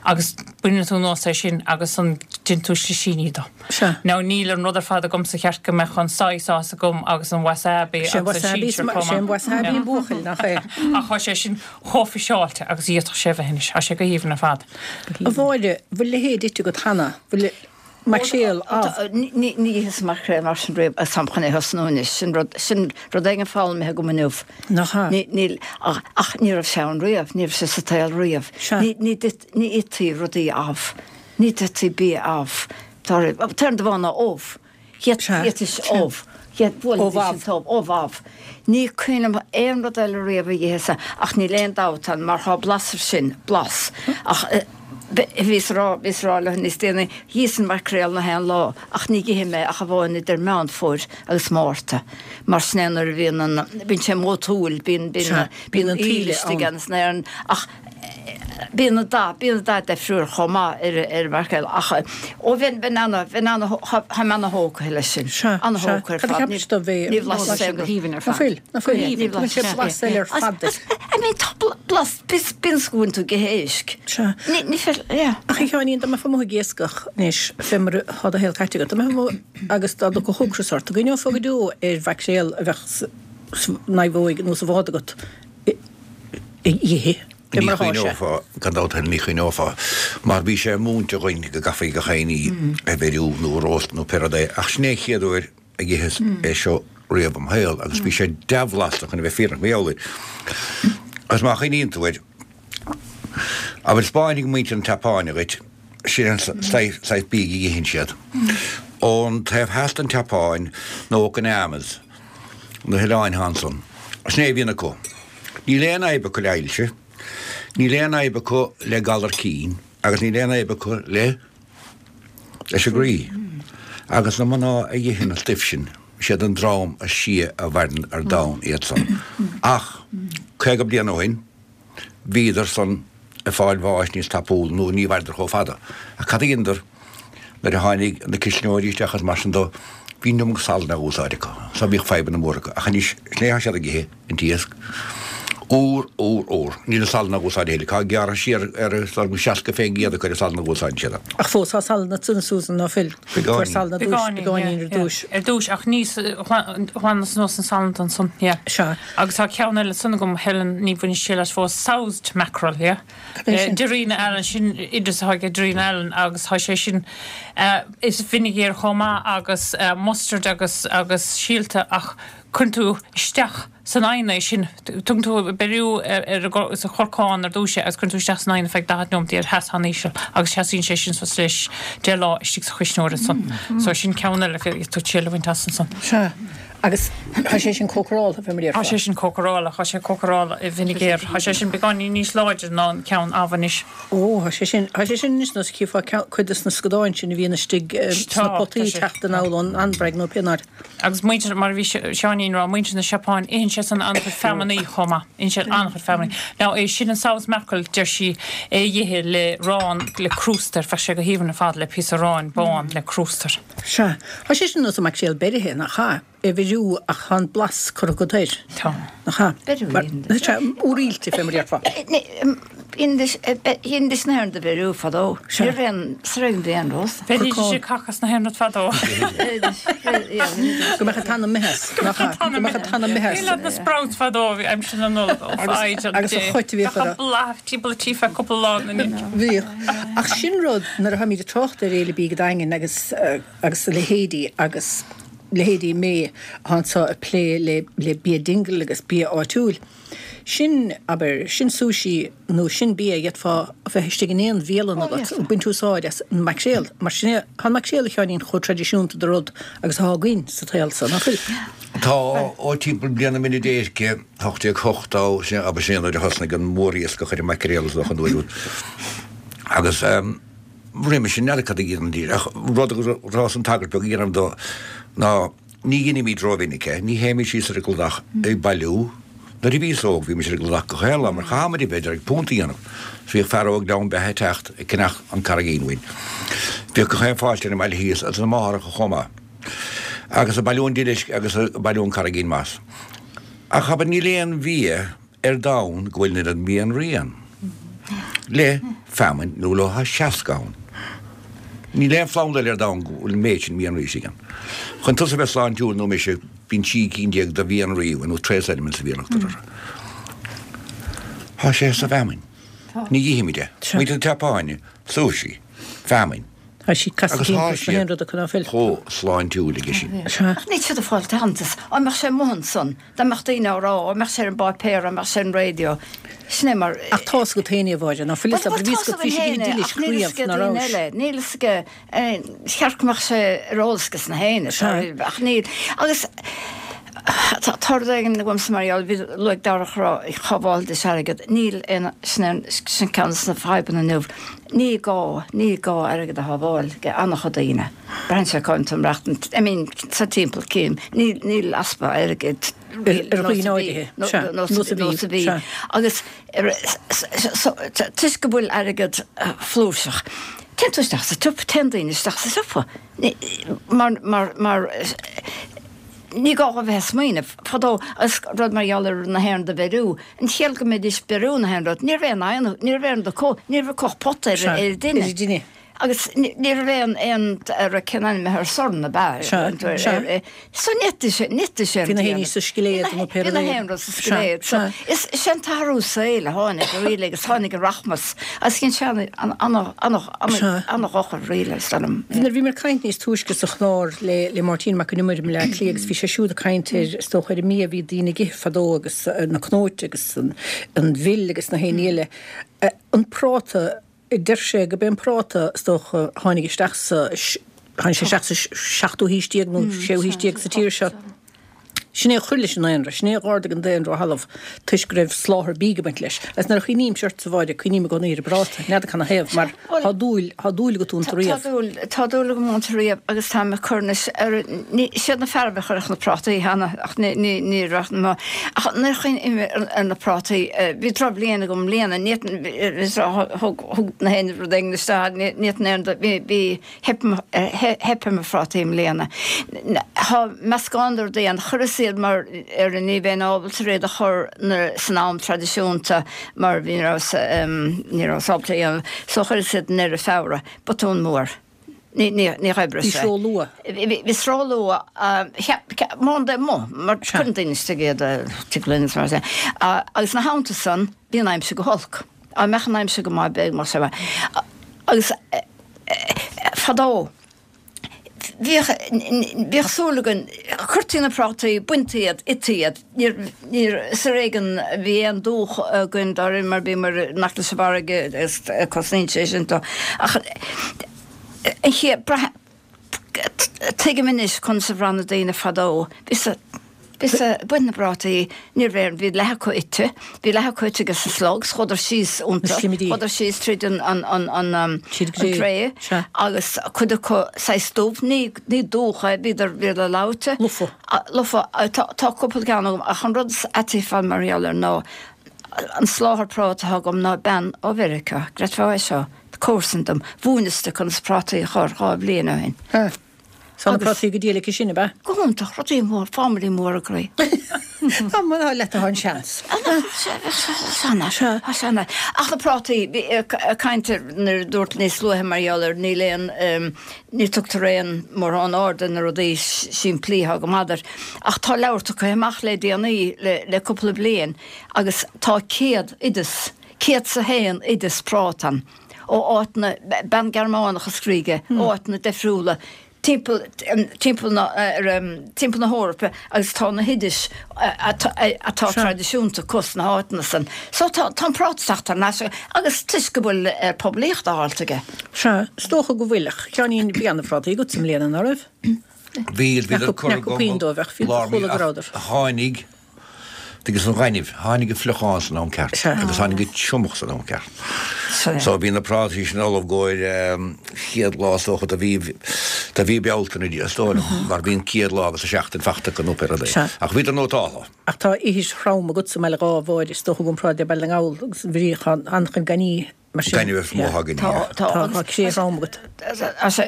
agus baineann tú anuas é sin agus an déanann tú slisíní de. Sea. Now níl an rud ar fad agamsa cheart go mbeadh an soy sauce agam agus an wasabi Sé agus an wasabi, sinsir chomh sé an maith. wasabi an buachaill, nach é? Ach tá sé sin chomh fiseáilte agus a d'fhéadfadh sé a bheith anois. Tá sé go haoibhinn ar fad. A Mháire, bhfuil leithéid ite agat cheana? Bhfuil Maicréal amh. Ní itheas maicréal mar sin riamh agus táim chun é a thosnú anois. Sin rud, sin rud éigin foghlamtha agam inniu. Nach ea? Ní, níl, ach, ach ní raibh sé ann riamh, ní raibh sé sa tsaol riamh. Sea. Ní, ní d'ith, ní ithtí rudaí amh. Ní d'ithtí bia amh. Tá, an t-aon rud amháin ná ubh. Sea. Dh'ithis ubh. Ubh amh. Ubh amh. Ní cuimhin liom aon rud eile riamh a dh'itheas ach níl aon dabht ann mar thá blas air sin, blas. Ach. Bhíos a rá, bhíos a rá leo níos déanaí, dh'itheas an maicréal nach aon lá ach ní dh'ithim é ach amháin idir Meán Fómhair agus Márta mar sin é nuair a bhíonn an, bíonn sé mótúil, bíonn, bíonn, bíonn an taoille istigh ann san aer ach bíonn an dath, bíonn an dath deifriúil chomh maith ar, ar an mhaicréal ach ó bheinn, bheinn ana, bheinn ana, tá mé ana thógtha leis sin, ana thógtha ar fad, ní bhlaiseann sé go haoibhinn ar fad. Ná fuil, ná fuil, ní bhfuil sé blas eile ar fad air. I mean tá blas, bíonn go bhfuil tú ag ithe éisc. Sea. Ní, ní féidir, yeah. Ach a Sheáinín, dá mbeifeá amuigh ag iascach anois, fé mar atá do shaol caite agat, dá mbeifeá amuigh agus dá dtiocfadh ocras ort, an gcuimhneofá go deo ar mhaicréal a bheadh sa naomhóig nó sa bhád agat a dh'ithe, fé Ní mar atá sé. chuimhneofá, gan dabht féin, ní chuimhneofá, mar bhí sé múinte againn go gcaithfí gach aon ní a bheiriú nó a róstadh nó pé rud é, ach sin é an chéad uair a dh'itheas é seo riamh im shaol agus bhí sé dea-bhlasta chun a bheith fírinneach mar gheall air. Agus má chuimhníonn tú air, Abair, 'spáinfidh muintir na Seapáine dhuit, sin an saghas bídh a itheann siad. Ón taobh theas den tSeapáin, na Okinawas, na hoileáin atá ansan, sin é a bhíonn acu. Níl aon fhadhb acu le hailse, níl aon fhadhb acu le galar cinn agus níl aon fhadhb acu le, leis an gcroí. Agus na mná a itheann an stuif sin, siad an dream is sia a mhaireann ar domhan iad san. Ach 50 bliain ó shin, bhíodar san ag fáil bháis níos tapúla nó ní mhaireadar chomh fada. Ach cad a dheineadar nuair a tháinig na cuisneoirí isteach agus mar sin dó, bhí an iomarca salainn á úsáid acu. So bhíodh fadhbanna móra acu. Ach anois, sin é atá siad ag ithe, an t-iasc. Úr, úr, úr. Níl an salann á úsáid a thuilleadh. Tá gearrtha siar ar 60% acu ar an salann a úsáideann siad. Ach fós tá salann ansan, a Susan, ná fuil? Fuair salann ar dtúis, Beagáinín, beagáinín ar dtúis. Ar dtúis, ach ní ghlanadh anuas an salann ansan, yeah. Sea. Agus tá ceann eile ansan agam, Helen, ní bhainis triail as fós, soused mackerel, yeah. Cad é sin? Darina Allen, sin oideas atá ag Darina Allen agus tá sé sin, is vinegar chomh maith agus mustard agus agus síolta ach cuireann tú isteach san oigheann é sin, tugann tú beiriú ar an sa chorcán ar dtúis é agus cuireann tú isteach san oigheann ar feadh 40 nóiméad ar theas an-íseal agus seasaíonn sé sin suas leis 10 lá istigh sa chuisneoir ansan. So sin ceann eile féadfaidh tú triail a bhaint as ansan. Sea. Agus tá sé sin cócaráltha, fé mar a déarfá. Tá sé sin cócaráltha, tá sé cócaráltha i bhfinigéar. Tá sé sin beagáinín níos láidre ná an ceann amh anois. Ó, tá sé sin, tá sé sin anois nós chífeá ceann, cuid de na scadáin sin a bhíonn istigh sna Tá, potaí tá sé, teacht tá. anall ón Anbraig nó pé áit. Agus muintir, mar a bhí Seáinín a rá, muintir na Seapáin, itheann siad san an-chuid feamainní chomh maith. Itheann siad an-chuid feamainní. Now, é sin an soused mackerel, deir sí, é a dh'ithe le arán, le crústa air, bheadh sé go haoibhinn ar fad le píosa aráin bán le crústa air. Sea. Tá sé sin nós an maicréal beirithe, nach ea? É a bheiriú ach tá an blas curtha agat air. Tá. Nach ea? Beiriú Mar, sea, úraoilte, fé mar a déarfá. Dheinidís na haon rud a bheiriú fadó. Sea. Ní raibh aon, sa raibh aon rós. Bheiridís an cac as na haon rud fadó. Go mbeadh an t-anam imithe as. Go mbeadh an t-anam Go mbeadh an t-anam imithe as. Bhí leat na sprouts fadó, bhí aimsir na Nollag ó foighid an Agus a dé. chait a bhíodh Bheadh an orthu. bláth timpeall an tí feadh cúpla lá ina ndiaidh. Bhíodh. Ach sin rud, nuair a tháimid ag trácht ar Fhéile Bídh an Daingin agus agus a leithéidí agus leithéidí mé atá anseo ag plé le le bia Dingle agus bia áitiúil, sin, abair, sin sushi nó sin bia a d'fhéadfá a bheith istigh in aon bhialann agat ag baint úsáid as an maicréal mar sin é, tá an maicréal a Sheáinín chomh traidisiúnta de rud agus atá againn sa tsaol so, nach bhfuil? Tá, ó timpeall bliain na mine déirce, 1880, sin, abair, sin é nuair a thosnaigh an mhóriascach ar an maicréal is dócha an uair úd. Agus roimhe sin, n'fheadar cad a dhéanaidís, ach rud a rabhas an tagairt beag a dhéanamh dó ná ní dheinimid rómhinic é, ní théimid síos ar an gcladach ag bailiú. Nuair a bhíos óg bhí muid ar an gcladach gach aon lá mar chaithfeadh muid a bheith ag punt a dhéanamh. Bhíodh fear ó Ghleann Beatha ag teacht ag ceannach an carraigín uainn. Bhíodh gach aon pháiste ar an mbaile thíos agus na máthaireacha chomh maith. Agus ag bailiú an duilisc agus ag bailiú an carraigín mais. Ach abair níl aon bhia ar domhan go bhfuil an oiread mianraí ann le feamainn nó le 60 ann. Níl aon phlanda eile ar domhan go bhfuil an méid sin mianraí istigh ann. Chun tusa bheith sláintiúil nó mise, bíonn 13 cinn de mhianraí uainn, nó trace elements a bhíonn orthu. Tá sé sa bhfeamainn. Ní ithimid é. Muintir na Seapáine, sushi, feamainn. Tá sí casta Agus tá timpeall sna siad haon rud acu ná fuil. chomh sláintiúil aige sin. Sea. Ach níl siad ag fáil aitheantas. Á mbeadh sé amuigh ansan, dá mbeadh daoine á rá, á mbeadh sé ar an bpáipéar, á mbeadh sé ar an raidió. Sin é mar. Ach tá's agat féin é, a Mháire, ná fuil fhios Bhuel, agat, bhí tá's fhios agat, bhí againn sí féin é, duilisc ach níl fhios riamh, ag ná daoine rabhais. eile. Níl fhios ag, cheart go mbeadh sé ar eolas ages na héinne, Sea. ach níl. Agus. Tá rud éigin agamsa mar gheall, bhí luaigh Darach rá shábháilidís airgead. Níl aon, sin aon, sin ceann de na fadhbanna inniu. Ní gá, ní gá airgead a shábháil ag an-chuid daoine. Braitheann sé cá bhfuil tú ag maireachtaint, I mean, sa timpeall cím, níl, níl easpa airgid Ar dhaoine áirithe, sea, nós a bhí, nós a bhí. Sea. Agus toisc go bhfuil airgead flúirseach, téann tú isteach sa tsiopa, téann daoine isteach sa siopa. Mar, mar, mar, ní gá a bheith ag smaoineamh. Fadó, agus rud mar gheall ar na haon rud a bheiriú, an chiall go mbeidís beiriú na haon rud, ní raibh aon oigheann, ní raibh aon rud acu, ní raibh acu ach pota ar an dtine. Agus ní raibh aon, aon, ar cén ainm ar sorn ab ea? Sea, sea. So ní fhéadfaidís é Bhí na haon ní sa scilléad nó pé Bhí rud na é. haon rud sa scilléad. So is é an t-athrú saoil a tháinig really agus tháinig an rachmas agus dhein sé an-dhochar really is dóigh liom. Nuair a bhíomar ag caint níos túisce sa chlár le le Máirtín Mac an Iomaire i mBleá Cliath agus bhí sé siúd ag caint ar is dócha ar an mbia a bhí daoine ag ithe fadó agus na cnóite agus an mhil agus na haon ní eile. An práta Deir sé go b'é an práta, is dócha, a tháinig isteach sa, tháinig sé isteach sa seachtú haois déag nó séú haois déag sa tír seo. Sin é a chuir leis an ndaonra, sin é a dh'ardaigh an daonra ó thalamh toisc go raibh soláthar bídh ag baint leis. Agus nuair a chuimhnímse ortsa, a Mháire, cuimhním i gcónaí ar an bpráta, n'fheadar canathaobh, mar tá dúil, tá dúil agat iontu Tá riamh. dúil, tá dúil agam iontu riamh agus táim ag cur anois ar, ní, siad na fearaibh a chuirfeadh na prátaí cheana ach ní, ní, ní raibh na, ach nuair a chuimhním ar, ar na prátaí, bhí drochbhliain agam i mbliana, ní, thug, thug na haon rud éigin isteach, ní, ní aon rud, bhí, bhí, theip, theip ar mo phrátaí i mbliana. Tá meascán de rudaí ann, chuireas iad mar ar ní bheinn ábalta iad a chur na, san am traidisiúnta mar bhí, ní rabhas, ní rabhas ábalta a dhéanamh, so chuireas iad i ndeireadh Feabhra, botún mór. Ní, ní, ní oibrigh Bhí sé. sé róluath. Bhí, bhí sé róluath, cheap, cheap, mórán de amuigh, mar cuireann daoine istigh iad, tig linn is mar sin. Agus ina theannta san, bhí an aimsir go holc. Dá mbeadh an aimsir go maith, b'fhéidir go mbeadh sé maith. Agus fadó, bhíodh, bhíodh súil againn, chuirtí na prátaí, baintí iad, ití iad. Níor, níor, is ar éigean a bhí aon dúch againn dáiríre mar bhíomar in aice leis an bhfarraige agus cosnaíonn sé sin dó. Ach an chéad, braith, tuigim anois conas a bhraith na daoine fadó. Bhí sa, bhí sa, baint na bprátaí, ní raibh aon, bhí leath acu ite, bhí leath acu ite ages na slugs, chuadar síos iontu, Na slimidí. chuadar síos tríd an, an, an, an, an Tríd an gcré. gcré Sea. agus cuid acu saghas dubh, ní, ní dúch é, bhíodar, bhíodar leáite. Lofa. Lofa. Tá, tá cúpla ceann agam ach an rud is aite fad mar gheall air ná an soláthar práta atá agam ná bean ó Mheiriceá, gcreidfeá é seo, comharsan dom, mhúineas di conas prátaí a chur 2 bhliain ó shin. Ha. Tá na Agus. prátaí go diail aici sin, ab ea? Go hiontach, rudaí mór, family mór a gcroí. Tá, má tá leat tá an seans. Seana, seana. Ach na prátaí, bhí caint ar nuair a dúirt níos luaithe mar gheall ar níl aon, ní tugtar aon mórán aird ar na rudaí simplí atá go maith duit. Ach tá leabhar tugtha amach le déanaí, le cúpla bliain, agus tá 100 oideas, 101 oideas práta ann, ó áiteanna, bean Gearmánach a scrígh é, ó áiteanna difriúla timpeall, timpeall na, timpeall na hEorpa agus tá na hoidis atá traidisiúnta acu sna háiteanna san. So tá, tá an práta ag teacht thar n-ais agus toisc go bhfuil poiblíocht á fháilt aige. Sea, is dócha go bhfuil, ach Sheáinín, bhí ana-phrátaí agat i mbliana, ná raibh? Bhí, bhíodar curtha Nach puinn dóibh ach bhí, lár mí, chuala go ach rabhadar. tháinig Agus an ghainimh, tháinig an fliuchán san am ceart agus tháinig an triomach san am ceart. So bhí na prátaí sin ullamh i gcomhair chéad lá is dócha de mhí, de mhí Bealtaine is dóigh liom, mar bhí an chéad lá agus an seachtain fachta acu nó pé rud é. Ach bhíodar nótáltha. Ach tá ithir throm agatsa i mBaile Dháith, a Mháire, is dócha i gcomparáid le Baile na nGall agus an bhrí an-chuid gainimh mar sin. Gaineamh is mó atá againne, Tá, yeah. tá, Tá agus cré throm agat. Tá sé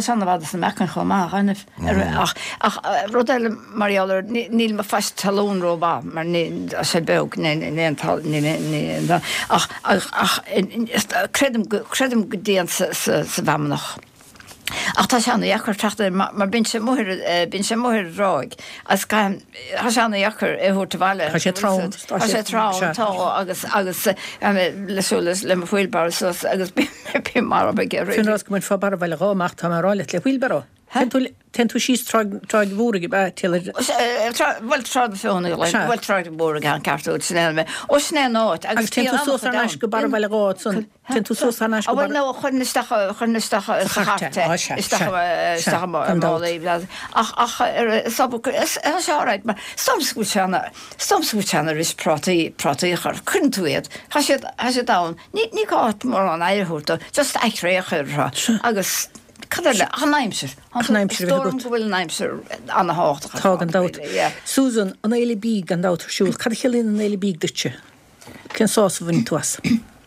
an-fhada sna meacain chomh maith, gaineamh. Ach, ach rud eile mar gheall air, níl mo phaiste talún rómhaith mar ní, tá sé beag, ní, ní aon tal, ní, ní, ní, ach, ach, ach creidim go, creidim go dtéann sa, sa, sa bhfeamnach. Ach tá sé ana-dheacair teacht air mar bíonn sé amuigh ar, bíonn sé amuigh ar an dtráigh agus caithfidh, tá sé ana-dheacair é a thabhairt abhaile. Tá sé trom. Tá sé trom, tá, agus, agus le súil le mo wheelbarrow suas agus bím marbh ag iarraidh. Fíonn rás go mbainfeá barra Bhaile Dháith amach, tá mé ag rá leat, le wheelbarrow. Téann tú síos Tráigh Mhóraigh, ab ea, Taylor? Bhuel, Trá na Feothanaí, bhuel, Tráigh Mhóraigh an ceart agat, sin é an ó, sin é an áit. Agus téann tú suas thar n-ais go Barra Bhaile Dháith ansan, téann tú suas thar n-ais go Barra. Bhuel, no, chuirfinn isteach, chuirfinn isteach sa chairt é, isteach, isteach i málaí, ach, ach, is obair, is é alright, mar is dócha go bhfuil sé ana, is dócha go bhfuil sé ana ris prátaí, prátaí a chur, cuireann tú iad, tá siad, tá siad ann, ní, ní gá mórán aire a thabhairt dó, just aicré a chur orthu agus Cad eile? Ach an aimsir. Ach an aimsir a Is bheith dóigh liom agat. go bhfuil an aimsir ana-thábhachtach ar Tá, fad, gan dabht. really, yeah. Susan, an Fhéile Bídh gan dabht ar siúl. Cad a chiallaíonn an Fhéile Bídh duitse? Cén sásamh a bhaineann tú as?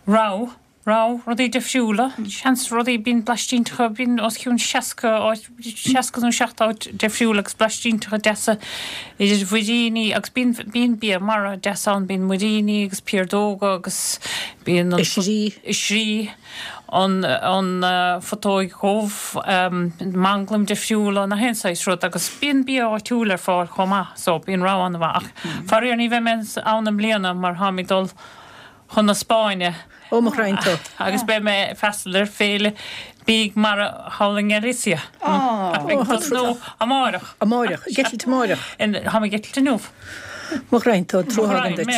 Rogha, rogha, rudaí difriúla, seans rudaí, bíonn blaistínteacha, bíonn os cionn 60 áit, 60 nó 70 áit difriúil agus blaistínteacha deasa idir mhuiríní agus bíonn, bíonn bia mara deas ann, bíonn muiríní agus piardóga agus bíonn an. Oisrí. Oisrí. an phutóig dhubh, manglaim difriúla, nach aon saghas rud agus bíonn bia áitiúil ar fáil chomh maith so bíonn rogha an-mhaith ach faraor ní bheidh mé ann i mbliana mar táim ag dul chun na Spáinne Ó mo ghraidhin tú. agus beidh mé ag freastal ar féile bídh mara thall i nGalicia. Ag tosnú amáireach. Amáireach, ag eitilt amáireach. Táim ag eitilt inniu. Mo ghraidhin tú, trua agam duit.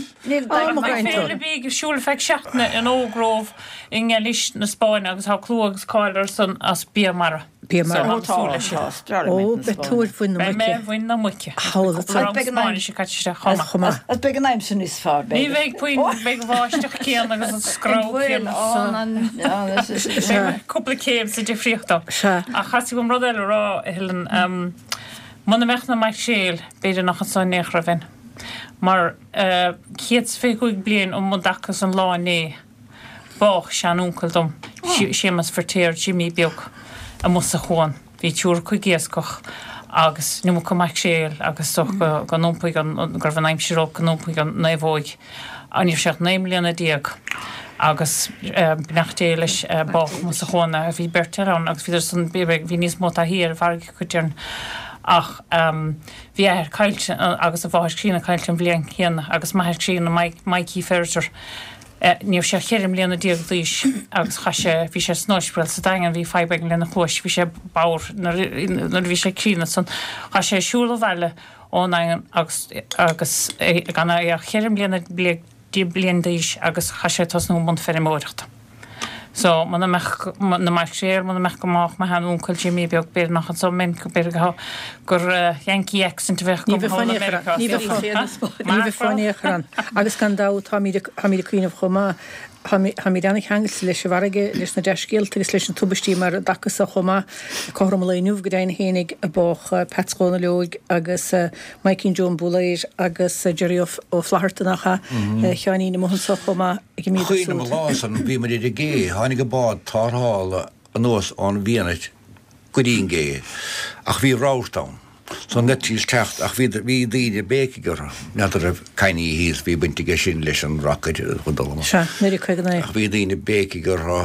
Féile bídh ar siúl ar feadh seachtaine in O Grove i nGailís na Spáinne agus tá clú agus cáil air san as bia mara. Bia mara. Ó, beidh tú ar mhuin na muice. Beidh mé ar mhuin na muice. Beidh an aimsir Agus beidh an aimsir níos fearr, b'fhéidir. Ní bheidh puinn, beidh an bháisteach céanna agus an screamh céanna. Beidh cúpla céim sa difríocht ann. Ach chaithfidh agam rud eile a rá, a Helen. Muna mbeadh na maicréil, b'fhéidir nach anso in aon chor a bheinn. Mar 125 bliain um an dtaca is an lá inné, bádh sean-uncail dom, Séamas Feirtéar, Jimí Beag, amuigh sa chuan. Bhí triúr acu ag iascach agus an iomarca maicréil agus is dócha go n-iompaigh an, go raibh an aimsir olc go n-iompaigh an naomhóig. Ní raibh sé ach 19 mbliana agus beannacht Dé leis bádh amuigh sa chuan é. Bhí beirt eile ann agus bhíodar san, bhí níos mó taithí ar an bhfarraige acu déarfainn ach bhí a athair caillte agus a mháthair críonna caillte an bhliain chéanna agus m'athair críonna Mikey Ferriter. Ní raibh sé ach 14 mbliana d'aois agus chaith sé, bhí sé san ospidéal sa Daingean, bhí fadhb éigin lena chluais, bhí sé bodhar nuair a bhí sé críonna ansan. Chaith sé siúl abhaile ón nDaingean agus agus gan é ach 14 mbliana bliain d'aois agus chaith sé tosnú i mbun feirmeoireachta. So, muna mbeadh na maicréil, muna mbeadh go mbádh mo shean-uncail Jimí beag, b'fhéidir nach anso a mbeinn, b'fhéidir go gur Yankee accent a bheadh agam thall i Meiriceá. Ní bheifeá in aon chor ann. Agus gan dabht, táimid ag cuimhneamh chomh maith, táimid an-cheangailte leis an bhfarraige, leis na dea-scéalta agus leis na tubaistí mar an dtaca so chomh maith. Cothrom an lae inniu go deimhin fhéinig a bádh Peats Dhónaill Óig agus Maidhcín Joe an Bhúlaeir agus Jerry Ó Flatharta nach ea, a Sheáinín amuigh anso chomh maith. Ag an Cuimhním an lá san bhí muid ar an gcé, tháinig an bád tarrthála anuas ón bhFianait go dtí an gcé ach bhí rabharta ann so an fhaitíos teacht ach bhí bhí daoine ag béicigh orthu, n'fheadar raibh Kenny thíos, bhí baint aige sin leis an rocket a chun dul amach. Sea, 1959. Ach bhí daoine ag béicigh orthu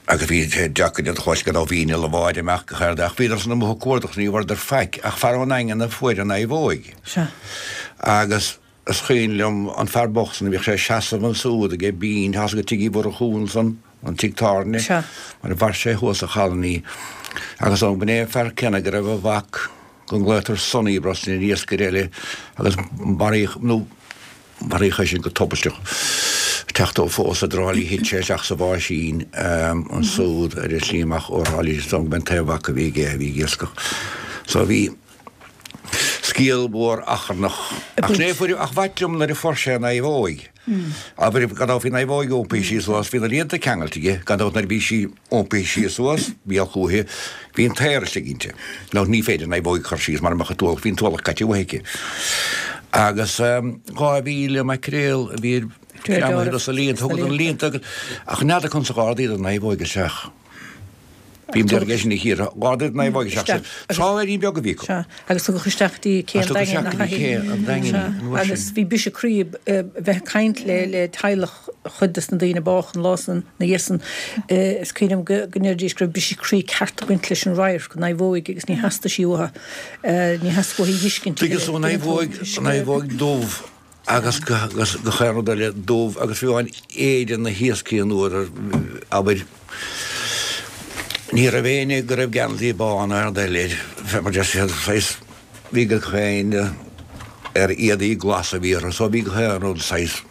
agus bhí sé deacair iad a chlois go raibh bhí inneall an bháid amach go cheard ach bhíodar san amuigh ag cuardach ní bhfuaireadar faic ach fear ón nDaingean a fuair an naomhóig. Sea. Agus Is cuimhin liom an fear bocht san a bhíodh sé ag seasamh ansúd age Bean, tá's agat Tigh Uí Mhurchú ansan, an tigh tábhairne, Sea. mar a mhair sé thuas sa Cholony. Agus ó b'in é an fear céanna go raibh a mhac, go nglaotar Sonny Brosnan, iascaire eile, agus maraíodh, nó maraíodh é sin go tubaisteach, teacht ó phósadh i dTrá Lí thit sé isteach sa bháisín ansúd ar an slí amach ó Thrá Lí, is dóigh liom go b'in an t-aon mhac a bhí aige a bhí ag iascach. So bhí. Scéal mhór achrannach. Ach ní fuair, ach b'ait liom nuair a fuair sé an naomhóig. Abair, gan dabht bhí an naomhóig iompaithe síos suas, bhí na líonta ceangailte aige, gan dabht nuair a bhí sí iompaithe síos suas, bhí a chúiche, bhí an t-aer istigh inti. Nó ní féidir naomhóig a chur síos mara mbeadh an t-ualach, bhí an t-ualach caite uaithi aici. Agus 2,000 maicréal a bhí greamaithe dos na líonta, thugadar na líonta agus, ach n'fheadar conas a dh'ardaíodar an naomhóig isteach. Bím dearg é sin a chíoradh. Dh'ardaíodar an naomhóig isteach sa trálaeirín beag a bhí acu. Sea, agus tugadh isteach go dtí cé an Daingin nach ea? Cé an Daingin í, an uair sin. Agus bhí briseadh croí bheith ag caint le le teaghlach chuid des na daoine a bádh an lá san, na dhiaidh san. Is cuimhin liom go go ndeiridís go raibh briseadh croí ceart ag baint leis an radharc, an naomhóig agus ní theastaigh sí uathu. Ní theastaigh uathu í a dh'fheiscint. Tuigeann tú an naomhóig, an naomhóig dubh agus gach aon rud eile dubh agus fiú amháin éide na hiascaigh an uair, abair. Ní raibh éinne go raibh geansaí bán ar air, fé mar deir siad, saghas, bhí gach éinne ar éadaí glasa a bhí orthu, so bhí gach aon rud saghas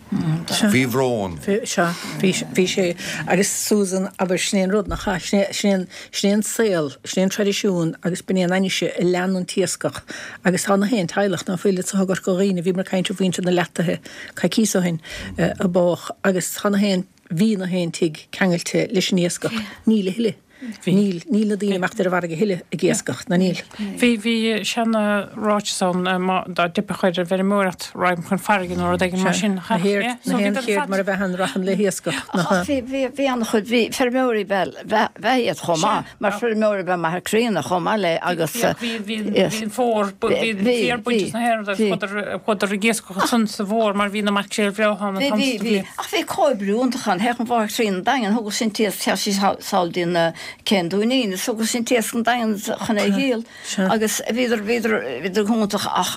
faoi bhrón. Sea, bhí sé, agus Susan, abair, sin é an rud, nach ea, sin é, sin é an, sin é an saol, sin é an traidisiún agus b'in é an ainnise a lean an t-iascach agus tá na haon teaghlach ná fuil anso i gCorca Dhuibhne, bhíomar ag caint ar mhuintir na Leataithe coicíos ó shin a bádh agus tá na haon, bhí na haon tigh ceangailte leis an iascach, níl a thuilleadh. Níl, níl na daoine ag imeacht ar an bhfarraige a thuilleadh ag iascach, ná níl. Bhí, bhí seana-ráiteas ann, má, dá dteipfeadh ar an bhfeirmeoireacht, raghainn chun farraige nó rud éigin mar sin. Na haon, na haon cheird mar a bheith ann, rachainn le hiascach, nach ea? Ach bhí, bhí, bhí an-chuid, bhí feirmeoirí ba ea, ba ea iad chomh maith, mar feirmeoirí ba ea m'athair críonna chomh maith le agus. Bhí, bhí, bhí an fómhar, bhí an féar bainte sna haon rud, chuadar, chuadar ag iascach ansan sa bhfómhar mar bhí na maicréil bhreátha ann an t-am sa bhliain. Ach bhí comhoibriú iontach ann. Théadh an mháthair chríonna 'on Daingean, thugadh sí an t-iasc, théadh sí sall dtí an cé an Dúinín is thugadh sí an t-iasc 'on Daingean chun é a dhíol. Agus bhíodar, bhíodar, bhíodar go hiontach ach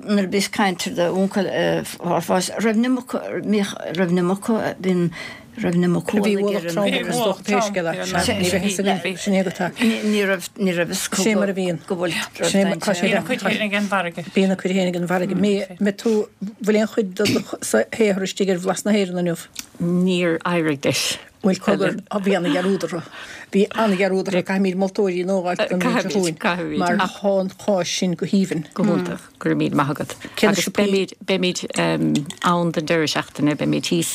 nuair a bhíos caint ar d'uncail raibh an iomarca, raibh an iomarca, bhí raibh an iomarca Bhí ualach trom acu is dócha pé scéal é. Sea, ní raibh fhios againn, sin é go tá. Ní raibh, ní raibh fhios acu Sin é mar a bhíonn. go bhfuil, Sin é mar, tá sé Bíonn a cuid féin ag an bhfarraige. Bíonn a cuid féin ag an bhfarraige. Mbeidh tú, bhfuil aon chuid de do shaothar istigh ar Bhlas na hÉireann inniu? Níor éirigh leis. Bhuel, cogar, bhí ana-dhearúd orthu. Bhí ana-dhearúd orthu. Caithfimid moltóirí nua a fháilt don bhliain seo chugainn mar tá an cháis sin go haoibhinn. Go hiontach. Go raibh míle maith agat. Agus beimid, beimid ann don deireadh seachtaine, beimid thíos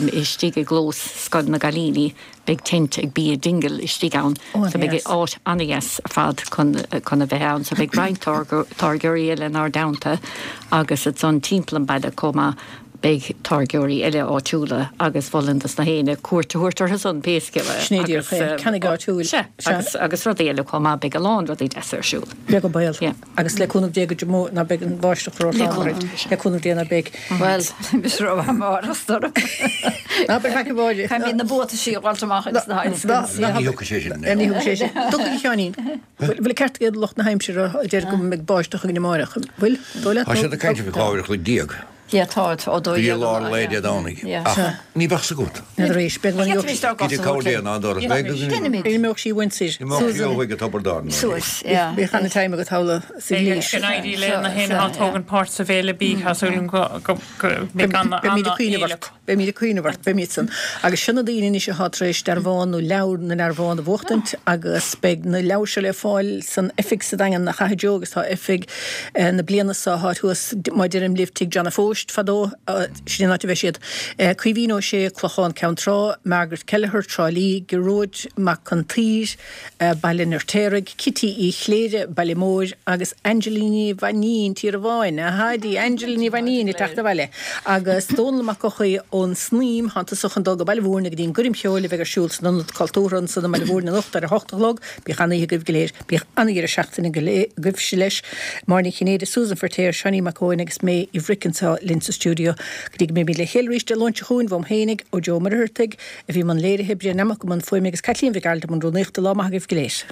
istigh i gclós Scoil na gCailíní, beidh tent ag Bia Dingle istigh ann, so beidh áit an-dheas ar fad chun, chun a bheith ann. So beidh roinnt táirgeoirí eile inár dteannta agus ansan timpeall an baile chomh maith beidh táirgeoirí eile áitiúla agus mholfainn dos na héinne cuairt a thabhairt orthu san pé scéal é. Sin é díreach é. Ceannaigh áitiúil. Sea, agus, agus rudaí eile chomh maith, beidh a lán rudaí deasa ar siúl. Beag an baol. Agus le cúnamh Dé go deo ná beidh an bháisteach ró-throm orainn. Le cúnamh Dé ná beidh. Bhuel, mise ró-mhaith amárach is dóigh. Ná beidh faic a Mháire. Caithfimid na buataisí a dh'fháilt amach ins na hAilscans. Ní thiocfaidh sé sin. Ní thiocfaidh sé sin. Dtiocfaidh a Sheáinín. Bhfuil an ceart ag lucht na haimsire a deir go mbeidh báisteach againn amárach? Bhfuil? Dóigh leat? Tá siad ag caint faoi 12 uair an chloig. Yeah, tá, ó Go dtí lár lae Dé Domhnaigh. Ach ní bheadh 's agat. N'fheadar arís. Beidh an Gidh cabhair Dé ná doras. Beidh go Déanaimid. Imeoidh sí uainn soir. Imeoidh sí ó thuaidh go Tobar Dáirn. Suas, yeah. Bíodh ana-time agat thall sa Ghlís. Go n-éirí le na héinne atá ag tógaint páirt sa bhFéile Bídh, tá súil agam go mbeidh Beimid ag cuimhneamh ort. Beimid ag cuimhneamh ort, beimid san. Agus seo na daoine anois atá tar éis dearbhán nó leabhar na ndearbhán a bhuachtaint agus beidh na leabhair seo le fáil san oifig sa Daingean, nach ea a Joe agus tá oifig na bliana seo thart thuas, má deirim libh Tigh John a' Phóist fadó, sin an áit a bheidh siad. Caoimhín Ó Sé, Clochán Ceann Trá, Margaret Kelleher, Trá Lí, Gearóid Mac Con tSaoir, Baile an Fheirtéaraigh, Cití Uí Chléire, Baile Móir, agus Angela Ní Mhainín, Tír an Bháin, a Thaidí, Angela Ní Mhainín ag teacht abhaile, agus Dónall Mac Eochaidh ón Snaidhm, thánn tusa chun dul go Baile Mhúirne go dtí an gcoirm cheoil a bheidh ar siúl san Ionad Cultúrtha ansan i mBaile Mhúirne anocht ar a hocht a chlog. Bíodh an-oíche agaibh go léir. Bíodh an-dheireadh seachtaine agaibhse leis. Máire Ní Chinnéide, Susan Feirtéar, Seáinín Mac Eoin agus mé, Eve Rick anseo linn sa stiúideo. Go dtí go mbeimid le chéile arís Dé Luain seo chugainn, uaim fhéinig, ó Joe Ó Muircheartaigh, a bhí i mbun léirithe, Brian Nammock i mbun fuaime agus Caitlín Mhic Gearailt i mbun rúnaíochta. Lá maith agaibh go léir.